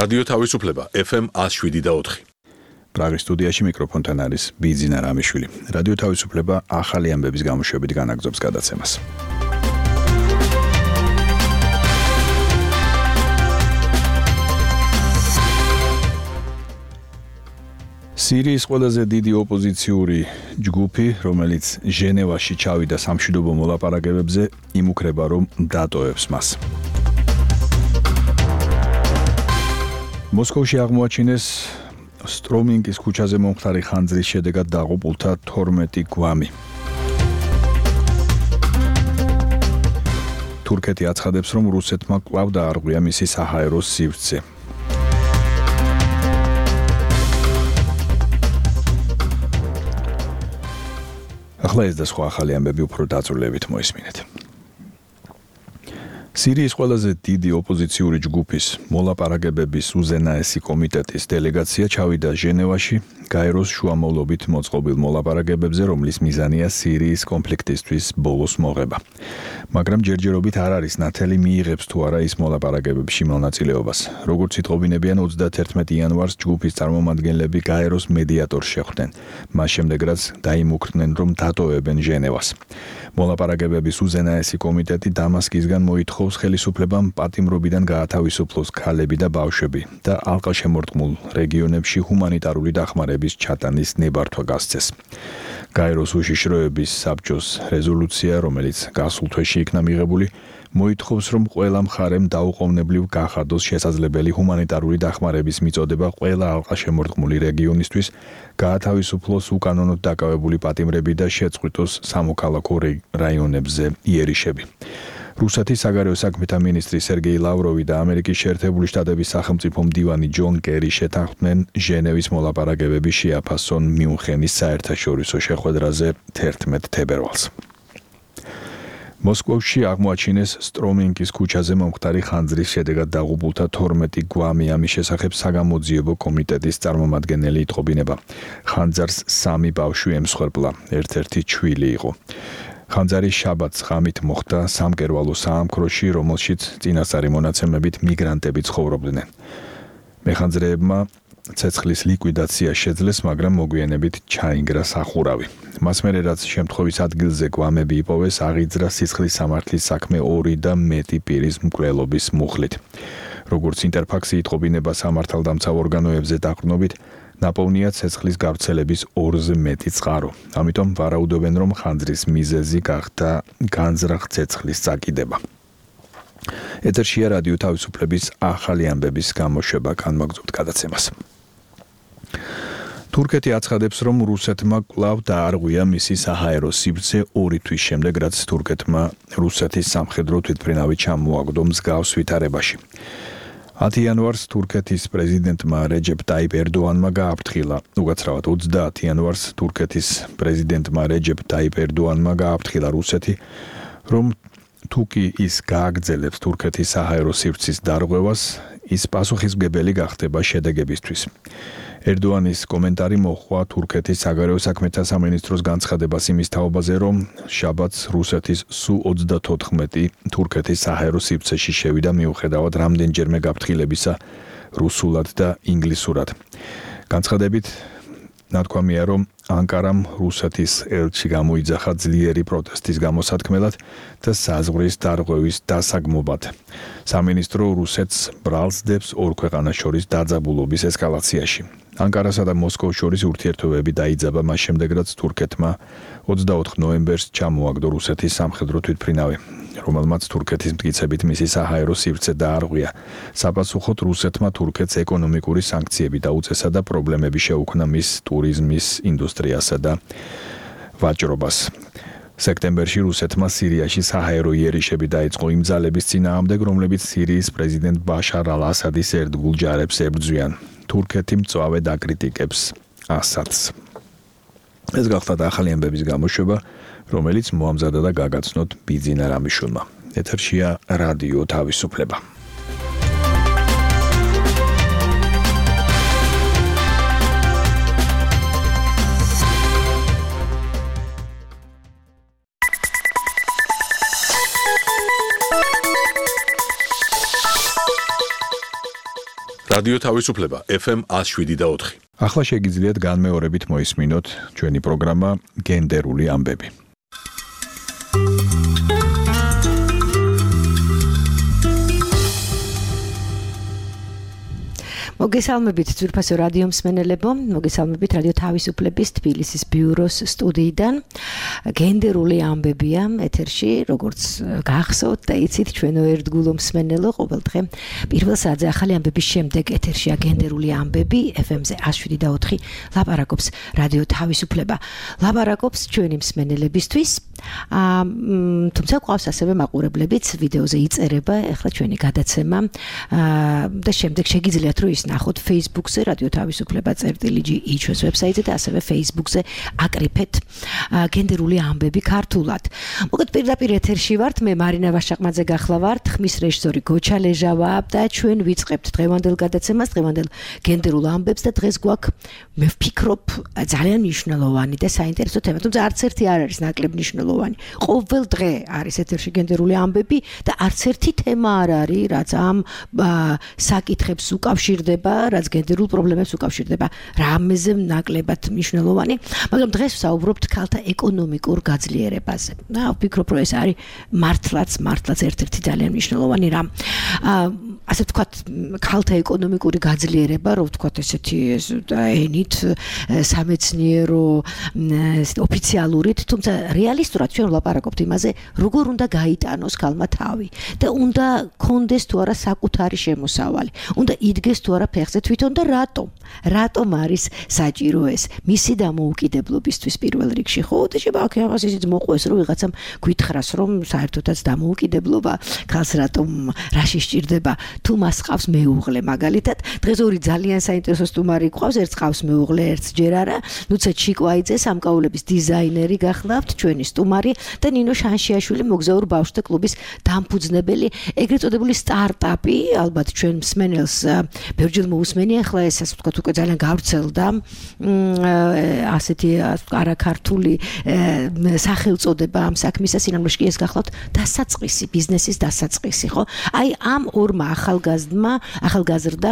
რადიო თავისუფლება FM 107.4. პრაღის სტუდიაში მიკროფონთან არის ბიძინა რამიშვილი. რადიო თავისუფლება ახალი ამბების გამოშვებით განაგრძობს გადაცემას. სირიის ყველაზე დიდი ოპოზიციური ჯგუფი, რომელიც ჟენევაში ჩავიდა სამშვიდობო მოლაპარაკებებზე, იმუქრება, რომ დატოვებს მას. მოსკოვში აღმოაჩინეს სტრომინგის ქუჩაზე მომხდარი ხანძრის შედეგად დაღუპულთა 12 გვამი. თურქეთი აცხადებს, რომ რუსეთმა კვლავ დაარღვია მისი საჰაერო სივრცე. ახლა ეს და სხვა ახალი ამბები უფრო დაწვრილებით მოისმინეთ. სირიის ყველაზე დიდი ოპოზიციური ჯგუფის მოლაპარაკებების უზენაესი კომიტეტის დელეგაცია ჩავიდა ჟენევაში გაეროს შუამავლობით მოწყობილ მოლაპარაკებებზე, რომლის მიზანია სირიის კონფლიქტისთვის ბოლოს მოღება. მაგრამ ჯერჯერობით არ არის ნათელი მიიღებს თუ არა ის მოლაპარაკებებში მონაწილეობას. როგორც იტყობინებიან 31 იანვარს ჯგუფის წარმომადგენლები გაეროს მედიატორს შეხვდნენ. მას შემდეგ რაც დაიმუქრდნენ, რომ დატოვებენ ჟენევას. მოლაპარაკებების უზენაესი კომიტეტი დამასკისგან მოითხოვს ხელისუფლებამ პატიმრობიდან გაათავისუფლოს ქალები და ბავშვები და ალყაშემორტყმულ რეგიონებში ჰუმანიტარული დახმარების ჩატანის ნებართვა გასცეს. გაეროს უშიშროების საბჭოს რეზოლუცია, რომელიც გასულ თვეში იქნა მიღებული, მოითხოვს, რომ ყველა მხარემ დაუყოვნებლივ გახადოს შესაძლებელი ჰუმანიტარული დახმარების მიწოდება ყველა ალყაშემორტყმული რეგიონისთვის, გაათავისუფლოს უკანონოდ დაკავებული პატიმრები და შეწყვიტოს სამოქალაქო რაიონებზე იერიშები. რუსეთის საგარეო საქმეთა მინისტრი სერგეი ლავროვი და ამერიკის შეერთებული შტატების სახელმწიფო მდივანი ჯონ კერი შეთანხმდნენ ჟენევის მოლაპარაკებები შეაფასონ მიუნხენის საერთაშორისო შეხვედრაზე 11 თებერვალს. მოსკოვში აღმოაჩინეს სტრომინგის ქუჩაზე მომხდარი ხანძრის შედეგად დაღუპულთა 12 გვამი. ამის შესახებ საგამოძიებო კომიტეტის წარმომადგენელი იტყობინება. ხანძარს 3 ბავშვი ემსხვერპლა, ერთ-ერთი ჩვილი იყო. ხანძარი შაბათს ღამით მოხდა სამკერვალო საამქროში, რომელშიც წინასწარი მონაცემებით მიგრანტები ცხოვრობდნენ. მეხანძრეებმა ცეცხლის ლიკვიდაცია შეძლეს, მაგრამ მოგვიანებით ჩაინგრა სახურავი. მას მერე რაც შემთხვევის ადგილზე გვამები იპოვეს, აღიძრა სისხლის სამართლის საქმე 2 და მეტი პირის მკვლელობის მუხლით. როგორც ინტერფაქსი იტყობინება სამართალდამცავ ორგანოებზე დაყრდნობით, ნაპოვნია ცეცხლის გავრცელების 2-ზე მეტი წყარო. ამიტომ ვარაუდობენ, რომ ხანძრის მიზეზი გახდა განზრახ ცეცხლის წაკიდება. ეთერშია რადიო თავისუფლების ახალი ამბების გამოშვება, განმაგზავნებთ გადაცემას. თურქეთი აცხადებს, რომ რუსეთმა კვლავ დაარღვია მისი საჰაერო სივრცე 2 თვის შემდეგ, რაც თურქეთმა რუსეთის სამხედრო თვითმფრინავი ჩამოაგდო მსგავს ვითარებაში. 10 იანვარს თურქეთის პრეზიდენტმა რეჯეპ ტაიპ ერდოანმა გააფრთხილა. უკაცრავად 30 იანვარს თურქეთის პრეზიდენტმა რეჯეპ ტაიპ ერდოანმა გააფრთხილა რუსეთი, რომ თუკი ის გააგრძელებს თურქეთის საჰაერო სივრცის დარღვევას, ის პასუხისმგებელი გახდება შედეგებისთვის. ერდოანის კომენტარი მოჰყვა თურქეთის საგარეო საქმეთა სამინისტროს განცხადებას იმის თაობაზე, რომ შაბათს რუსეთის სუ-34 თურქეთის საჰაერო სივრცეში შევიდა მიუხედავად რამდენჯერმე გაფრთხილებისა რუსულად და ინგლისურად. განცხადებით ნათქვამია, რომ ანკარამ რუსეთის ელჩი გამოიძახა ძლიერი პროტესტის გამოსათქმელად და საზღვრის დარღვევის დასაგმობად. სამინისტრო რუსეთს ბრალსდებს ორ ქვეყანას შორის დაძაბულობის ესკალაციაში. ანკარასა და მოსკოვს შორის ურთიერთობები დაიძაბა მას შემდეგ, რაც თურქეთმა 24 ნოემბერს ჩამოაგდო რუსეთის სამხედრო თვითმფრინავი, რომელმაც თურქეთის მტკიცებით მისი საჰაერო სივრცე დაარღვია. საპასუხოდ რუსეთმა თურქეთს ეკონომიკური სანქციები დაუწესა და პრობლემები შეუქმნა მის ტურიზმის ინდუსტრიასა და ვაჭრობას. სექტემბერში რუსეთმა სირიაში საჰაერო იერიშები დაიწყო იმ ძალების წინააღმდეგ, რომლებიც სირიის პრეზიდენტ ბაშარ ალ-ასადის ერთგულ ჯარებს ებრძვიან. თურქეთი მწვავე დაკრიტიკებს ასადს. ეს გახლავთ ახალი ამბების გამოშვება, რომელიც მოამზადა და გაგაცნოთ ბიძინა რამიშვილმა. ეთერშია რადიო თავისუფლება. რადიო თავისუფლება FM 107.4. ახლა შეგიძლიათ განმეორებით მოისმინოთ ჩვენი პროგრამა გენდერული ამბები. მოგესალმებით ძვირფასო რადიო მსმენელებო, მოგესალმებით რადიო თავისუფლების თბილისის ბიუროს სტუდიიდან. გენდერული ამბებია ეთერში, როგორც გახსოვთ და იცით ჩვენო ერთგულო მსმენელო, ყოველდღე პირველ საათზე ახალი ამბების შემდეგ ეთერშია გენდერული ამბები FM-ზე 107.4 ლაპარაკობს რადიო თავისუფლება. ლაპარაკობს ჩვენი მსმენელებისთვის. თუმცა ყავს ასევე მაყურებლებიც, ვიდეოზე იწერება ახლა ჩვენი გადაცემა და შემდეგ შეგიძლიათ რომ ის ნახოთ Facebook-ზე რადიო თავისუფლება წერტილი.ge ჩვენს ვებსაიტზე და ასევე Facebook-ზე აკრიფეთ გენდერული ამბები ქართულად. მოგეთ პირდაპირ ეთერში ვართ, მე მარინა ვაშაყმაძე გახლავართ, ხმის რეჟისორი გოჩა ლეჟავა და ჩვენ ვიწყებთ დღევანდელ გადაცემას, დღევანდელ გენდერულ ამბებს და დღეს გვაქვს მე ვფიქრობ ძალიან მნიშვნელოვანი და საინტერესო თემა, თუმცა არც ერთი არ არის ნაკლებ მნიშვნელოვანი. ყოველ დღე არის ეთერში გენდერული ამბები და არც ერთი თემა არ არის, რაც ამ საკითხებს უკავშირდება, რაც გენდერულ პრობლემებს უკავშირდება, რამეზე ნაკლებად მნიშვნელოვანი, მაგრამ დღეს ვსაუბრობთ ქალთა ეკონომიკურ გაძლიერებაზე. ვფიქრობ, რომ ეს არის მართლაც ერთ-ერთი ძალიან მნიშვნელოვანი რამ. ასე ვთქვათ, ქალთა ეკონომიკური გაძლიერება, რომ ვთქვათ ესეთი ენით, სამეცნიერო, ოფიციალურით, თუმცა რეალისტურად ჩვენ ვლაპარაკობთ იმაზე, როგორ უნდა გაიტანოს ქალმა თავი და უნდა კონდეს თუ არა საკუთარი შემოსავალი, უნდა იდგეს თუ არა ფეხზე თვითონ და რატომ არის საჭირო ეს მისი დამოუკიდებლობისთვის პირველ რიგში, ხო? და შეგვიძლია ისიც მოყვეს, რომ ვიღაცამ გითხრას, რომ საერთოდაც დამოუკიდებლობა ქალს რატომ რაში სჭირდება, თუ მას ყავს მეუღლე მაგალითად. დღეს ორი ძალიან საინტერესო სტუმარი გვყავს, ერთს ყავს მეუღლე, ერთს ჯერ არა. ნუცა ჩიკვაიძე სამკაულების დიზაინერი გახლავთ, ჩვენი სტუმარი და ნინო შანშიაშვილი მოგზაურ ბავშვთა კლუბის დამფუძნებელი, ეგრეთ წოდებული სტარტაპი, ალბათ ჩვენ მსმენელს ბევრჯერ მოусმენია, ახლა ეს ასე ვთქვათ უკვე ძალიან გავრცელდა ასეთი არაქართული სახელწოდება ამ საქმისა, სინამდვილეში კი ეს გახლავთ დასაწყისი, ბიზნესის დასაწყისი, ხო? აი ამ ორმა ახალგაზრდა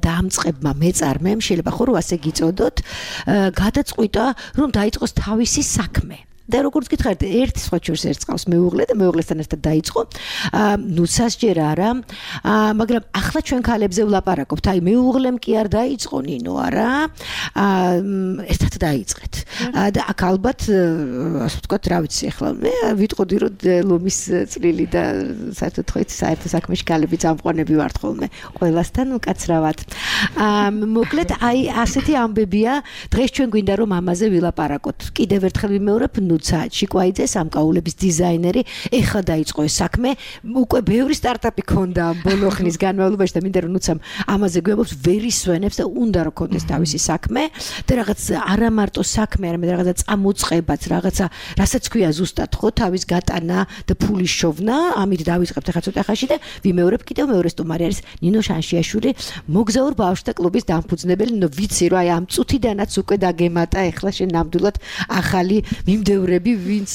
დამწყებმა მეწარმემ, შეიძლება ხო რომ ასე გიწოდოთ, გადაწყვიტა რომ დაიწყოს თავისი საქმე. და როგორც გითხარით, ერთი სხვა ჩვენს ერთს ყავს მეუღლე და მეუღლესთან ერთად დაიწყო. ნუცას ჯერ არა, მაგრამ ახლა ჩვენ ქალებზე ვლაპარაკობთ. აი მეუღლემ კი არ დაიწყო ნინო არა, ერთად დაიწყეთ. და აქ ალბათ ასე ვთქვათ, რა ვიცი, ახლა მე ვიტყოდი რომ ლომის წვლილი და საერთოდ საერთო საქმეში ქალები წამყვანები ვართ ხოლმე, ყველასთან უკაცრავად. მოკლედ აი ასეთი ამბებია, დღეს ჩვენ გვინდა რომ ამაზე ვილაპარაკოთ. კიდევ ერთხელ ვიმეორებ, ნუცა ჩიკვაიძე სამკაულების დიზაინერი, ეხლა დაიწყო ეს საქმე, უკვე ბევრი სტარტაპი ქონდა ბოლო ხნის განმავლობაში და მინდა რომ ნუცამ ამაზე გვიამბობს, ვერ ისვენებს და უნდა რომ ქონდეს თავისი საქმე და რაღაც არა მარტო საქმე, არამედ რაღაცა წამოწყებაც, რაღაცა, რასაც ქვია ზუსტად ხო, თავის გატანა და ფულის შოვნა, ამით დავიწყებთ ახლა ცოტა ხანში და ვიმეორებ კიდევ მეორე სტუმარი არის ნინო შანშიაშვილი, მოგზაურ ბავშვთა კლუბის დამფუძნებელი. ნუ ვიცი რომ აი ამ წუთიდანაც უკვე დაგემატა ახლა შენ ნამდვილად ახალი მიმდევრები, ვინც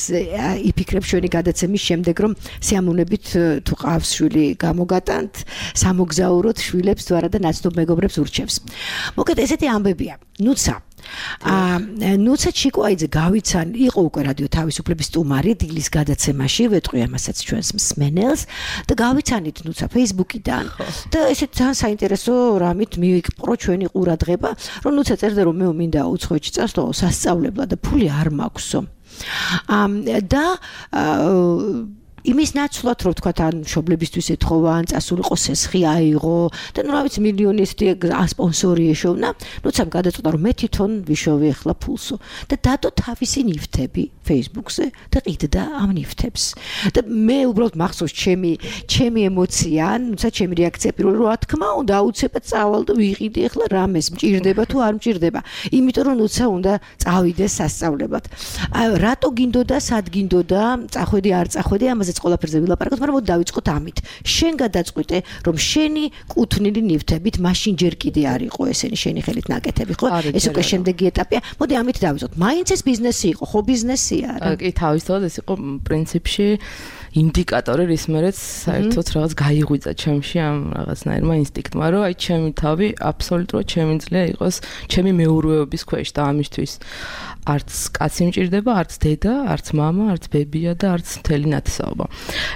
იფიქრებს ჩვენი გადაცემის შემდეგ, რომ სიამოვნებით თუ ყავს შვილი გამოგატანთ, სამოგზაუროთ შვილებს თუ არა და ნაცნობ მეგობრებს ურჩევს. მოკლედ ესეთი ამბებია. ნუცა ჩიკვაიძე გავიცან, იყო უკვე რადიო თავისუფლების სტუმარი დილის გადაცემაში, ვეტყვი ამასაც ჩვენს მსმენელს და გავიცანით ნუცა Facebook-იდან და ესეთ ძალიან საინტერესო რამით მივიყრო ჩვენი ყურადღება, რომ ნუცა წერდა რომ მე მინდა უცხოეთში წასვლა სასწავლებლად და ფული არ მაქვსო. და იმის ნაცვლად რომ თქვა თან მშობლებისთვის ეთხოვა, ან წასულიყო სესხი აიღო და ნუ რა ვიცი მილიონი ესეთი სპონსორი ეშოვნა, ნუცამ გადაწყვიტა რომ მე თვითონ ვიშოვე ახლა ფულსო და დადო თავისი ნივთები Facebook-ზე და ყიდდა ამ ნივთებს. და მე უბრალოდ მახსოვს ჩემი ემოცია, ნუცა ჩემი რეაქცია პირველი რა თქმა უნდა აუცილებლად წავალ და ვიყიდი ახლა რამეს მჭირდება თუ არ მჭირდება. იმიტომ რომ ნუცა უნდა წავიდეს სასწავლებლად. რატო გინდოდა, სად გინდოდა, წახვედი არ წახვედი, ამაზე ეს ყველაფერზე ვილაპარაკოთ, მაგრამ მოდი დავიწყოთ ამით. შენ გადაწყვიტე, რომ შენი კუთვნილი ნივთებით მაშინ ჯერ კიდე არ იყო ესენი შენი ხელით ნაკეთები, ხო? ეს უკვე შემდეგი ეტაპია. მოდი ამით დავიწყოთ. მაინც ეს ბიზნესი იყო, ხო ბიზნესია რა? კი, თავისთავად ეს იყო პრინციპში ინდიკატორი, რის მერეც საერთოდ რაღაც გაიღვიძა ჩემში ამ რაღაცნაირმა ინსტინქტმა, რომ აი ჩემი თავი აბსოლუტურად შემიძლია იყოს ჩემი მეურვეობის ქვეშ და ამისთვის არც კაცი მჭირდება, არც დედა, არც მამა, არც ბებია და არც მთელი ნათესაობა.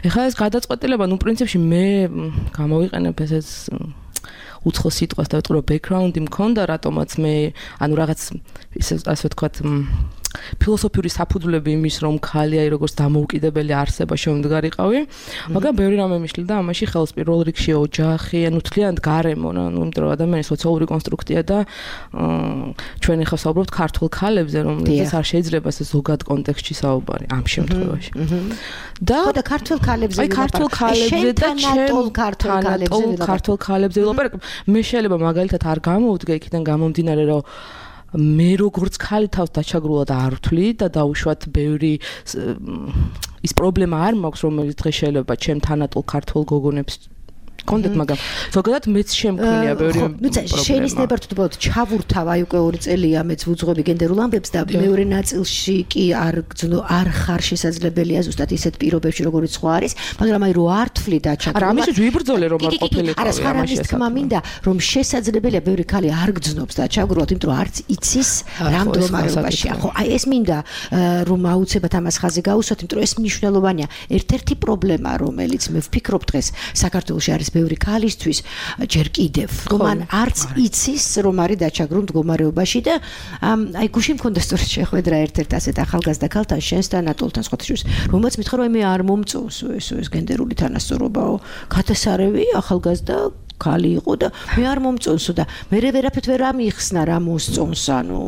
ეხლა ეს გადაწყვეტილება, ნუ პრინციპში მე გამოვიყენებ ესეც უცხო სიტყვას და ვიტყვი რომ ბექგრაუნდი მქონდა, რატომაც მე ანუ რაღაც ასე ვთქვათ ფილოსოფიური საფუძვლები იმის რომ ხალი აი როგორც დამოუკიდებელი არსება შემდგარიყავი, მაგრამ ბევრი რამე მიშლიდა ამაში ხელს პირველ რიგში ოჯახი, ანუ თლიანად გარემო, ანუ იმიტომ რომ ადამიანის სოციალური კონსტრუქცია და ჩვენ ახლა საუბრობთ ქართულ ქალებზე, რომელსაც არ შეიძლება ეს ზოგად კონტექსტში საუბარი ამ შემთხვევაში. და ქართულ ქალებზე აი ქართულ ქალებზე და ქართულ ქალებზე ვილაპარაკებ. მე შეიძლება მაგალითად არ გამოვდგე იქიდან გამომდინარე რომ მე როგორც ხალი თავს დაჩაგრულად არ ვთვლი და დაუშვათ ბევრი ის პრობლემა არ მაქვს რომელიც დღეს შეიძლება ჩემ თანატოლ ქართულ გოგონებს კონდეთ მაგრამ ზოგადად მეც შემქმნია ბევრი პრობლემა. შენის ნებართვოდ ჩავურთავ აი უკვე 2 წელია მეც ვუძღვები გენდერულ ამბებს და მეორე ნაწილში კი არ ხარ შესაძლებელია ზუსტად ისეთ პირობებში როგორც სხვა არის, მაგრამ აი რო არ თვლი დაჩაგრულად. არა, ამისთვის ვიბრძოლე რომ არ ყოფილიყავი ამაში. არა, ის თქმა მინდა რომ შესაძლებელია ბევრი ხალი არ გძნობს დაჩაგრულად, იმიტომ რომ არც იცის რა მდგომარეობაშია. ხო, აი ეს მინდა რომ აუცილებლად ამას ხაზი გაუსვათ, იმიტომ რომ ეს მნიშვნელოვანია. ერთ-ერთი პრობლემა რომელიც მე ვფიქრობ დღეს საქართველოში არის ბევრი ქალისთვის ჯერ კიდევ რომ ან არც იცის რომ არის დაჩაგრულ მდგომარეობაში და აი გუში მქონდა სწორედ შეხვედრა ერთ-ერთ ასეთ ახალგაზრდა ქალთან შენს და ანატოლთან სხვათა შორის რომელმაც მითხრა რომ მე არ მომწონს ეს გენდერული თანასწორობაო ქათასარევი ახალგაზრდა ხალი იყო და მე არ მომწონსო და მე ვერაფერთ ვერ ამიხსნა რა მოსწონს ანუ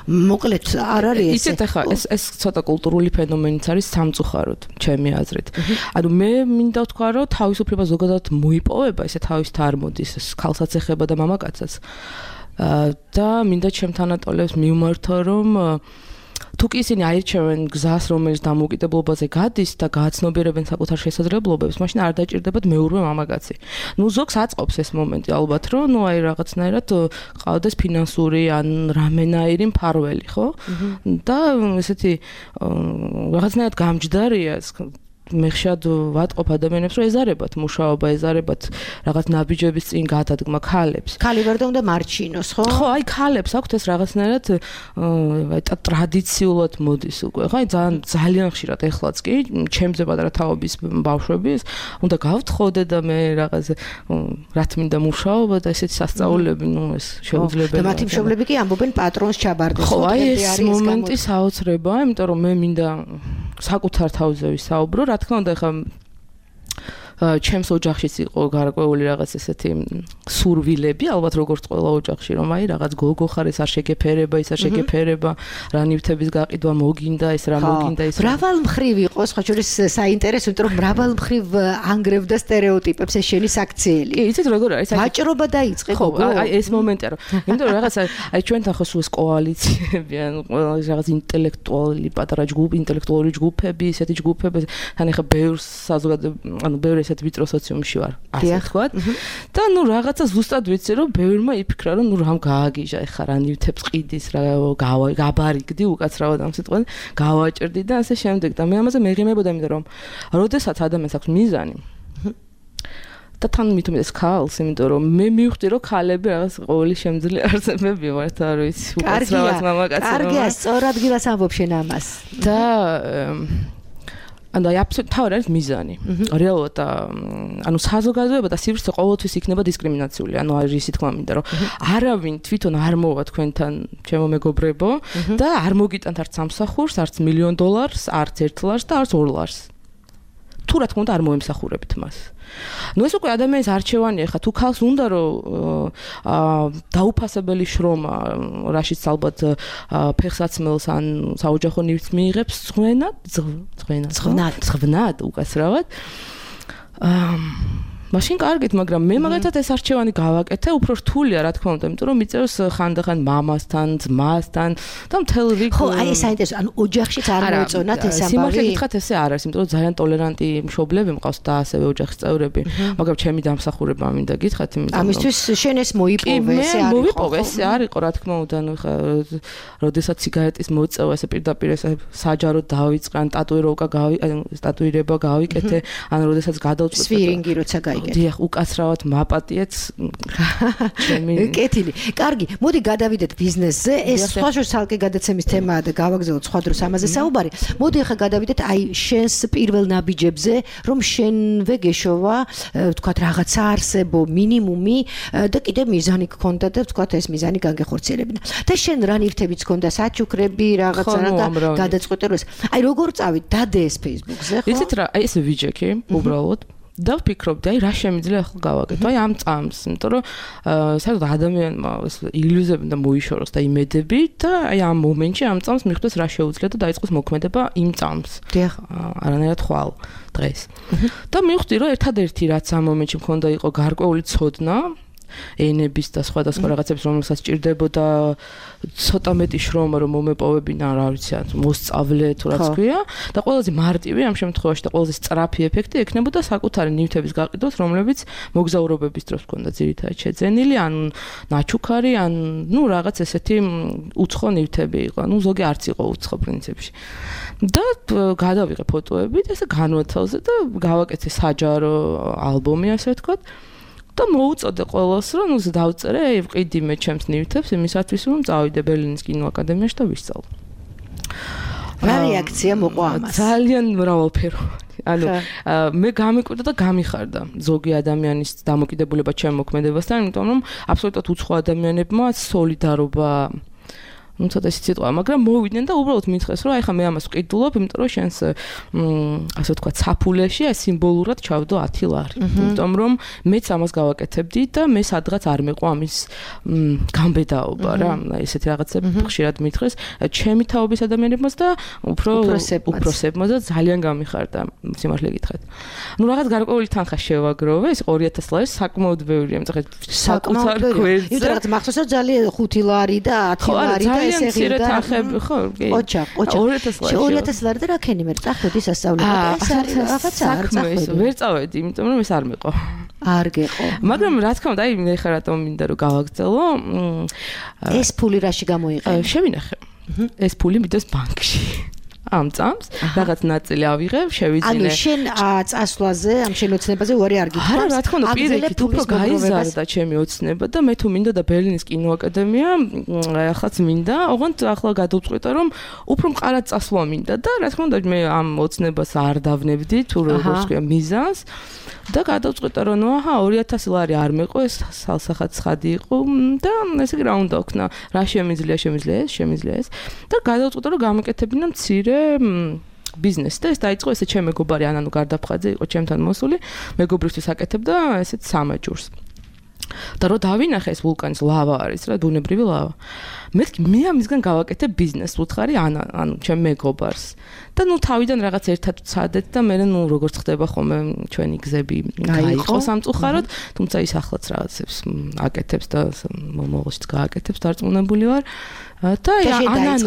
მოკლედ არ არის ესე ისეთ ახლა ეს ცოტა კულტურული ფენომენიც არის სამწუხაროდ ჩემი აზრით. ანუ მე მინდა ვთქვა რომ თავისუფლება ზოგადად მოიპოვება ესე თავის არ მოდის ეს ქალსაც ეხება და მამაკაცსაც და მინდა ჩემ თანატოლებს მივმართო რომ თუ კი ისინი აირჩევენ გზას რომელიც დამოუკიდებლობაზე გადის და გააცნობიერებენ საკუთარ შესაძლებლობებს, მაშინ არ დაჭირდებათ მეურვე მამაკაცი. ნუ ზოგს აწყობს ეს მომენტი ალბათ რომ ნუ აი რაღაცნაირად ყავდეს ფინანსური ან რამენაირი მფარველი, ხო? და ესეთი რაღაცნაირად გამჯდარია ეს მე ხშირად ვატყობ ადამიანებს რომ ეზარებათ მუშაობა, ეზარებათ რაღაც ნაბიჯების წინ გადადგმა ქალებს. ქალი ვერ უნდა მარჩინოს, ხო? ხო, აი ქალებს აქვთ ეს რაღაცნაირად აი ტრადიციულად მოდის უკვე, ხო? აი ძალიან ხშირად ეხლაც კი, ჩემზე პატარა თაობის ბავშვები უნდა გავთხოვდე და მე რაღაც რა თმინდა მუშაობა და ესეთი სასწაულები, ნუ ეს შეუძლებელია. და მათი მშობლები კი ამბობენ პატრონს ჩაბარდეს. ხო, აი ეს მომენტი საოცრებაა, იმიტომ რომ მე მინდა საკუთარ თავზე ვისაუბრო, რა თქმა უნდა, ხა ჩემს ოჯახშიც იყო გარკვეული რაღაც ესეთი სურვილები, ალბათ როგორც ყველა ოჯახში, რომ აი რაღაც გოგო ხარ, ეს არ შეგეფერება, ის არ შეგეფერება, რა ნივთების გაყიდვა მოგინდა, ეს რა მოგინდა, ის მრავალ მხრივ იყო, სხვა შორის საინტერესო, იმიტომ რომ მრავალ მხრივ ანგრევდა სტერეოტიპებს ეს შენი საქციელი. კი, იცით როგორ არის? ვაჭრობა დაიწყე გოგო. აი ეს მომენტია, რომ იმიტომ რომ რაღაცა აი ჩვენთან ხო სულ ეს კოალიციები, ან რაღაც ინტელექტუალური პატარა ჯგუფი, ინტელექტუალური ჯგუფები, ესეთი ჯგუფები, თან ახლა ბევრ საზოგადოებაში, ანუ ბევრ ესეთ ვიწრო სოციუმში ვარ, ასე ვთქვათ. და ნუ რაღაცა ზუსტად ვიცი, რომ ბევრმა იფიქრა, რომ ნუ რამ გააგიჟა, ეხლა რა ნივთებს ყიდის, რა გაბარიგდი უკაცრავად ამ სიტყვაზე, გავაჭრდი და ასე შემდეგ. და მე ამაზე მეღიმებოდა, იმიტომ რომ როდესაც ადამიანს აქვს მიზანი და თან მithumedes ქალს, იმიტომ რომ მე მივხვდი, რომ ქალები რაღაც ყოველი შემძლე არსებები ვართ, არ ვიცი, უკაცრავად მამაკაცი. კარგია, სწორად გილას ამბობ შენ ამას. და ანუ აი აბსოლუტურად თავი არის მიზანი. რეალურად ანუ საზოგადოება და სივრცე ყოველთვის იქნება დისკრიმინაციული. ანუ არის ისე თქმა მინდა, რომ არავინ თვითონ არ მოვა თქვენთან, ჩემო მეგობრებო, და არ მოგიტანთ არც სამსახურს, არც $1 million, არც 1 ლარს და არც 2 ლარს. თუ რა თქმა უნდა არ მოემსახურებთ მას. ნუ ეს უკვე ადამიანის არჩევანია, ხა თუ ქალს უნდა რომ დაუფასებელი შრომა, რაშიც ალბათ ფეხსაცმელს ან საოჯახო ნივთს მიიღებს, звонად უკაცრავად. მაშინ კარგით, მაგრამ მე მაგალითად ეს არჩევანი გავაკეთე, უფრო რთულია რა თქმა უნდა, იმიტომ რომ მიწეროს ხანდახან მამასთან, ძმასთან და მთელ რიგ ხო, აი ეს საინტერესო, ანუ ოჯახშიც არ მოეწონათ ეს ამბავი. სიმართლე გითხრათ ესე არ არის, იმიტომ რომ ძალიან ტოლერანტი მშობლები მყავს და ასევე ოჯახის წევრები, მაგრამ ჩემი დამსახურება მინდა გითხრათ, იმიტომ რომ ამისთვის შენ ეს მოიპოვე, ეს არ იყო. მოვიპოვე, ესე არ იყო რა თქმა უნდა, ნუ ხა როდესაც სიგარეტის მოწევა ესე პირდაპირ ესე საჯაროდ დავიწყე, ან ტატუირება გავიკეთე, ან როდესაც გადავწყვეტე სვირინგი როცა გაიგე. დიახ, უკაცრავად მაპატიეც ჩემი კეთილი. კარგი, მოდი გადავიდეთ ბიზნესზე. ეს სხვა შორსალკე გადაცემის თემაა და გავაგზავნოთ სხვა დროს ამაზე საუბარი. მოდი ახლა გადავიდეთ აი შენს პირველ ნაბიჯებზე, რომ შენვე გეშოვა, ვთქვათ, რაღაცა არსებო მინიმუმი და კიდე მიზანი გქონდა და ვთქვათ, ეს მიზანი განგეხორციელებინა. და შენ რა ნივთებიც გქონდა, საჩუქრები, რაღაცა რა გადაწყვეტე რომ ეს. აი როგორ წავით, დადე ეს Facebook-ზე, ხო? იცით რა, აი ეს ვიჯექი, უბრალოდ და ვფიქრობდი, აი რა შემიძლია ახლა გავაკეთო, აი ამ წამს, იმიტომ რომ საერთოდ ადამიანმა ეს ილუზიები და მოიშოროს და იმედები და აი ამ მომენტში ამ წამს მიხვდეს რა შეუძლია და დაიწყოს მოქმედება იმ წამს. დიახ, არანაირად ხვალ დღეს. და მივხვდი, რომ ერთადერთი რაც ამ მომენტში მქონდა იყო გარკვეული ცოდნა ენების და სხვადასხვა რაღაცებს, რომელსაც ჭირდებოდა ცოტა მეტი შრომა, რომ მომეპოვებინა, რა ვიცი, მოსწავლე თუ რაც ქვია და ყველაზე მარტივი ამ შემთხვევაში და ყველაზე სწრაფი ეფექტი ექნებოდა საკუთარი ნივთების გაყიდვას, რომლებიც მოგზაურობების დროს ჰქონდა ძირითადად შეძენილი, ან ნაჩუქარი, ან ნუ რაღაც ესეთი უცხო ნივთები იყო, ნუ ზოგი არც იყო უცხო პრინციპში. და გადავიღე ფოტოები და ესე განვათავზე და გავაკეთე საჯარო ალბომი, ასე ვთქვათ. და მოუწოდე ყველას, რომ ნუ დავწერე, ვყიდი მე ჩემს ნივთებს იმისათვის, რომ წავიდე ბერლინის კინოაკადემიაში და ვისწავლო. რა რეაქცია მოყვა ამას? ძალიან მრავალფეროვანი. ანუ მე გამიკვირდა და გამიხარდა ზოგი ადამიანის დამოკიდებულება ჩემ მოქმედებასთან, იმიტომ რომ აბსოლუტურად უცხო ადამიანებმა სოლიდარობა ну ცოტა სიტყვა, მაგრამ მოვიდნენ და უბრალოდ მითხრეს, რომ აი ხა მე ამას ვყიდულობ, იმიტომ რომ შენს ასე ვთქვათ, საფულეში აი სიმბოლურად ჩავდო 10 ლარი. იმიტომ რომ მეც ამას გავაკეთებდი და მე სადღაც არ მეყვა ამის გამბედაობა რა, ესეთი რაღაცები ხშირად მითხრეს ჩემი თაობის ადამიანებმაც და უფროსებმაც და ძალიან გამიხარდა, სიმართლე გითხრათ. ну რაღაც გარკვეული თანხა შევაგროვე, ეს 2000 ლარი საკმაოდ ბევრია, მწახეთ საკუთარ გვერდზე. იმიტომ რომ მახსოვს რომ ძალიან 5 ლარი და 10 ლარი და მცირე თანხები ხო? ოჩა 2000 ლარი და რა ქენი მე წახვედი სასწავლებლად ეს არის რაღაცა არ წახვედი ვერ წავედი იმიტომ რომ ეს არ მეყო არ გეყო მაგრამ რა თქმა უნდა აი მე ხარ რატომ მინდა რომ გავაგრძელო ეს ფული რაში გამოიყენე შევინახე ეს ფული მიდოს ბანკში ამ წამს რაღაც ნაწილი ავიღებ, შევიძინე. ანუ შენ წასვლაზე, ამ შენ ოცნებაზე უარი არ გიქვამს. არა, რა თქმა უნდა, პირიქით უფრო გაიზარდა ჩემი ოცნება და მე თუ მინდა და ბერლინის კინოაკადემია, ახლაც მინდა, ოღონდ ახლა გადავწყვეტა რომ უფრო მყარად წასვლა მინდა და რა თქმა უნდა მე ამ ოცნებას არ დავნებდი თუ როგორც ქვია მიზანს. და გადავწყვეტა რომ ნუ აჰა 2000 ლარი არ მეყო ეს სალსახად ცხადი იყო და ესე იგი რა უნდა ვქნა რა შემიძლია ეს და გადავწყვეტა რომ გამეკეთებინა მცირე ბიზნესი და ეს დაიწყო ესე ჩემ მეგობარი ანანუ გარდაფხაძე იყო ჩემთან მოსული მეგობრისთვის აკეთებდა ესეთ სამაჯურს და რო დავინახე ეს ვულკანის ლავა არის რა ბუნებრივი ლავა მე ამისგან გავაკეთე ბიზნესს უთხარი ანუ ჩემ მეგობარს და ნუ თავიდან რაღაც ერთად ვცადეთ და მე ნუ როგორც ხდება ხოლმე ჩვენი გზები გაიყო სამწუხაროდ თუმცა ის ახლაც რაღაცებს აკეთებს და მომავალშიც გააკეთებს დარწმუნებული ვარ და ანუ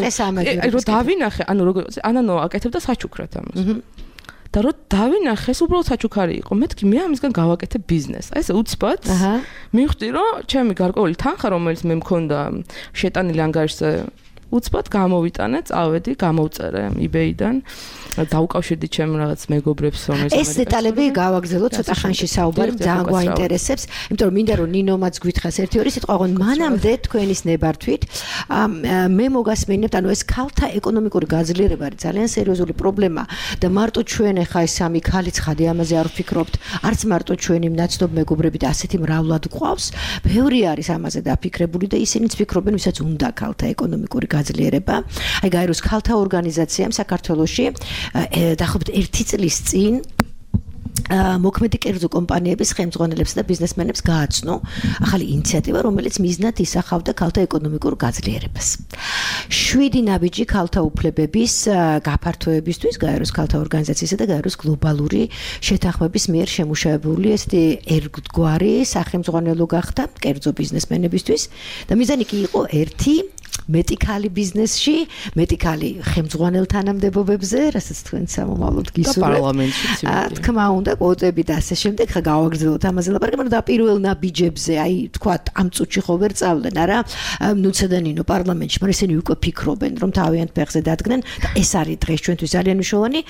რო დავინახე ანუ როგორც ანანო აკეთებდა საჩუქრად ამას და რო დავინახე ეს უბრალოდ საჩუქარი იყო მეთქი მე ამისგან გავაკეთე ბიზნესს აი ეს უცბად მივხვდი რომ ჩემი გარკვეული თანხა რომელიც მე მქონდა შეტანილი ანგარიშზე უცბად გამოვიტანე წავედი გამოვწერე eBay-დან დავუკავშირდი ჩემ რაღაც მეგობრებს რომელიც ეს დეტალები გავაგზავნოთ ცოტა ხანში საუბარი ძალიან გვაინტერესებს იმიტომ რომ მინდა რომ ნინომაც გვითხრას ერთი ორი სიტყვა ოღონდ მანამდე თქვენის ნებართვით მე მოგასმენებთ ანუ ეს ქალთა ეკონომიკური გაძლიერება არის ძალიან სერიოზული პრობლემა და მარტო ჩვენ ახლა ეს სამი ქალი ცხადი ამაზე არ ვფიქრობთ არც მარტო ჩვენი მნაცნობ მეგობრები და ასეთი მრავლად გვყავს ბევრი არის ამაზე დაფიქრებული და ისინიც ფიქრობენ ვისაც უნდა ქალთა ეკონომიკური გაძლიერება აი გაეროს ქალთა ორგანიზაციამ საქართველოში დაახლოებით 1 წლის წინ მოქმედი კერძო კომპანიების ხელმძღვანელებსა და ბიზნესმენებს გააცნო ახალი ინიციატივა, რომელიც მიზნად ისახავდა ქალთა ეკონომიკურ გაძლიერებას. 7 ნაბიჯი ქალთა უფლებების გაფართოებისთვის გაეროს ქალთა ორგანიზაციისა და გაეროს გლობალური შეთანხმების მიერ შემუშავებული ესეთი ერთგვარი სახელმძღვანელო გახდა კერძო ბიზნესმენებისთვის და მიზანი კი იყო ერთი მეტი ქალი ბიზნესში, მეტი ქალი ხელმძღვანელ თანამდებობებზე, რასაც თქვენ სამომავლოდ გისურვებთ. და პარლამენტშიც. თქმა უნდა, კვოტები და ასე შემდეგ, ხა გავაგრძელოთ ამაზე ლაპარაკი, მაგრამ და პირველ ნაბიჯებზე, აი, თქვათ, ამ წუთში ხო ვერ წავდნენ, არა? ნუცედანინო პარლამენტში, მაგრამ ისინი უკვე ფიქრობენ, რომ თავიანთ ფეხზე დადგნენ და ეს არის დღეს ჩვენთვის ძალიან მნიშვნელოვანი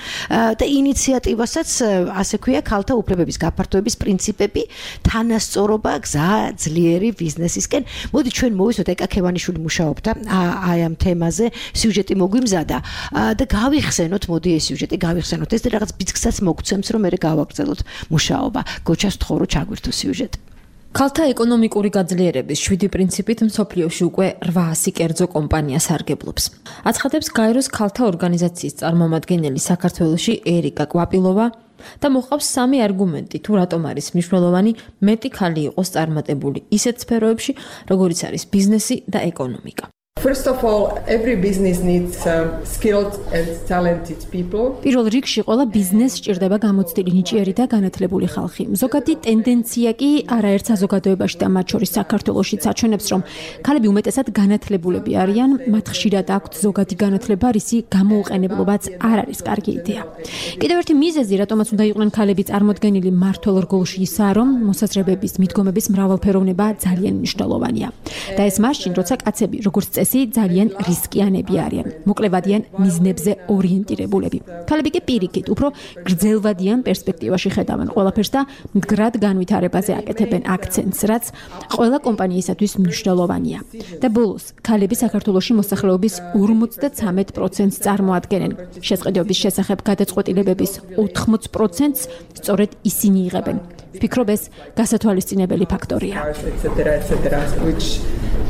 და ინიციატივასაც ასე ქვია, ქალთა უფლებების გაფართოების პრინციპები, თანასწორობა, გზა ძლიერი ბიზნესისკენ. მოდი ჩვენ მოვისვათ ეკა ქევანიშვილი მუშაობდა აი ამ თემაზე სიუჟეტი მოგვიმზადა და გავიხსენოთ, მოდი ეს სიუჟეტი გავიხსენოთ. ეს რაღაც ბიძგსაც მოგცემს, რომ მე გავაგრძელოთ მუშაობა. გოჩას ვთხოვ, რომ ჩაგვირთო სიუჟეტი. ქალთა ეკონომიკური გაძლიერების 7 პრინციპით მსოფლიოში უკვე 800 კერძო კომპანია სარგებლობს. აცხადებს გაეროს ქალთა ორგანიზაციის წარმომადგენელი საქართველოში ერიკა კვაპილოვა და მოყავს 3 არგუმენტი თუ რატომ არის მნიშვნელოვანი მეტი ქალი იყოს წარმატებული ისეთ სფეროებში, როგორიც არის ბიზნესი და ეკონომიკა. First of all, every business needs skilled and talented people. პირველ რიგში ყველა ბიზნესს სჭირდება გამოცდილი ნიჭიერი და განათლებული ხალხი. ზოგადი ტენდენცია კი არაერთ საზოგადოებაში და მათ შორის საქართველოშიც აჩვენებს, რომ ქალები უმეტესად განათლებულები არიან, მათ ხშირად აქვთ ზოგადი განათლება, რისი გამოუყენებლობაც არ არის კარგი იდეა. კიდევ ერთი მიზეზი, რატომაც უნდა იყვნენ ქალები წარმოდგენილი მმართველ რგოლში ისაა, რომ მოსაზრებების, მიდგომების მრავალფეროვნება ძალიან მნიშვნელოვანია. და ეს მაშინ, როცა კაცები, როგორც წესი, ძალიან რისკიანები არიან. მოკლევადიან მიზნებზე ორიენტირებულები. ქალები კი პირიქით, უფრო გრძელვადიან პერსპექტივაში ხედავენ ყველაფერს და მდგრად განვითარებაზე აკეთებენ აქცენტს, რაც ყველა კომპანიისათვის მნიშვნელოვანია. და ბოლოს, ქალები საქართველოში მოსახლეობის 53%-ს წარმოადგენენ. შესყიდვების შესახებ გადაწყვეტილებების 80%-ს სწორედ ისინი იღებენ. ვფიქრობ, ეს გასათვალისწინებელი ფაქტორია.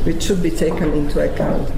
Which should be taken into account.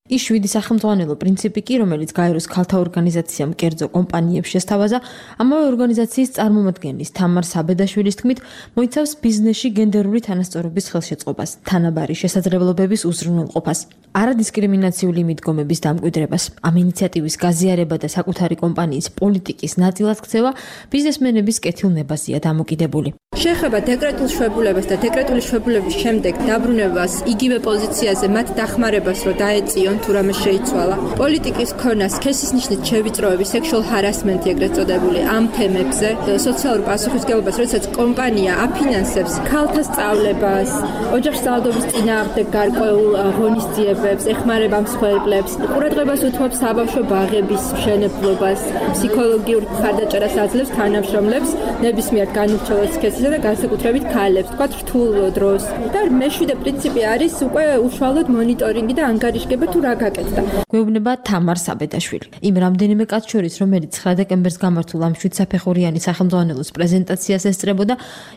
ის 7 სახელმძღვანელო პრინციპი კი, რომელიც გაეროს ქალთა ორგანიზაციამ კერძო კომპანიებს შესთავაზა, ამავე ორგანიზაციის წარმომადგენლის თამარ საბედაშვილის თქმით, მოიცავს ბიზნესში გენდერული თანასწორობის ხელშეწყობას, თანაბარი შესაძლებლობების უზრუნველყოფას, არადისკრიმინაციული მიდგომების დამკვიდრებას, ამ ინიციატივის გაზიარება და საკუთარი კომპანიის პოლიტიკის ნაწილად ქცევა ბიზნესმენების კეთილნებაზეა დამოკიდებული. შეეხება დეკრეტულ შვებულებას და დეკრეტული შებულების შემდეგ დაბრუნებას იგივე პოზიციაზე მათ დახმარებას რო დაეწიონ თუ რამე შეიცვალა. პოლიტიკის ქონა სქესის ნიშნით შევიწროები, სექსუალ ჰარასმენტი ეგრეთ წოდებული ამ თემებზე, სოციალურ პასუხისმგებლობას, როდესაც კომპანია აფინანსებს ქალთა სწავლებას, ოჯახში ძალადობის წინააღმდეგ გარკვეულ ღონისძიებებს, ეხმარება მსხვერპლებს, ყურადღებას უთმობს საბავშვო ბაღების მშენებლობას, ფსიქოლოგიურ მხარდაჭერას აძლევს თანამშრომლებს, ნებისმიერ განურჩევლად სქესისა და განსაკუთრებით ქალებს, თქვათ რთულ დროს. და მეშვიდე პრინციპი არის უკვე უშუალოდ მონიტორინგი და ანგარიშგება თუ რა გაკეთდა. გვეუბნება თამარ საბედაშვილი. იმ რამდენიმე კაც შორის, რომელიც 9 დეკემბერს გამართულ ამ 7 საფეხურიანი სახელმძღვანელოს პრეზენტაციას ესწრებოდა,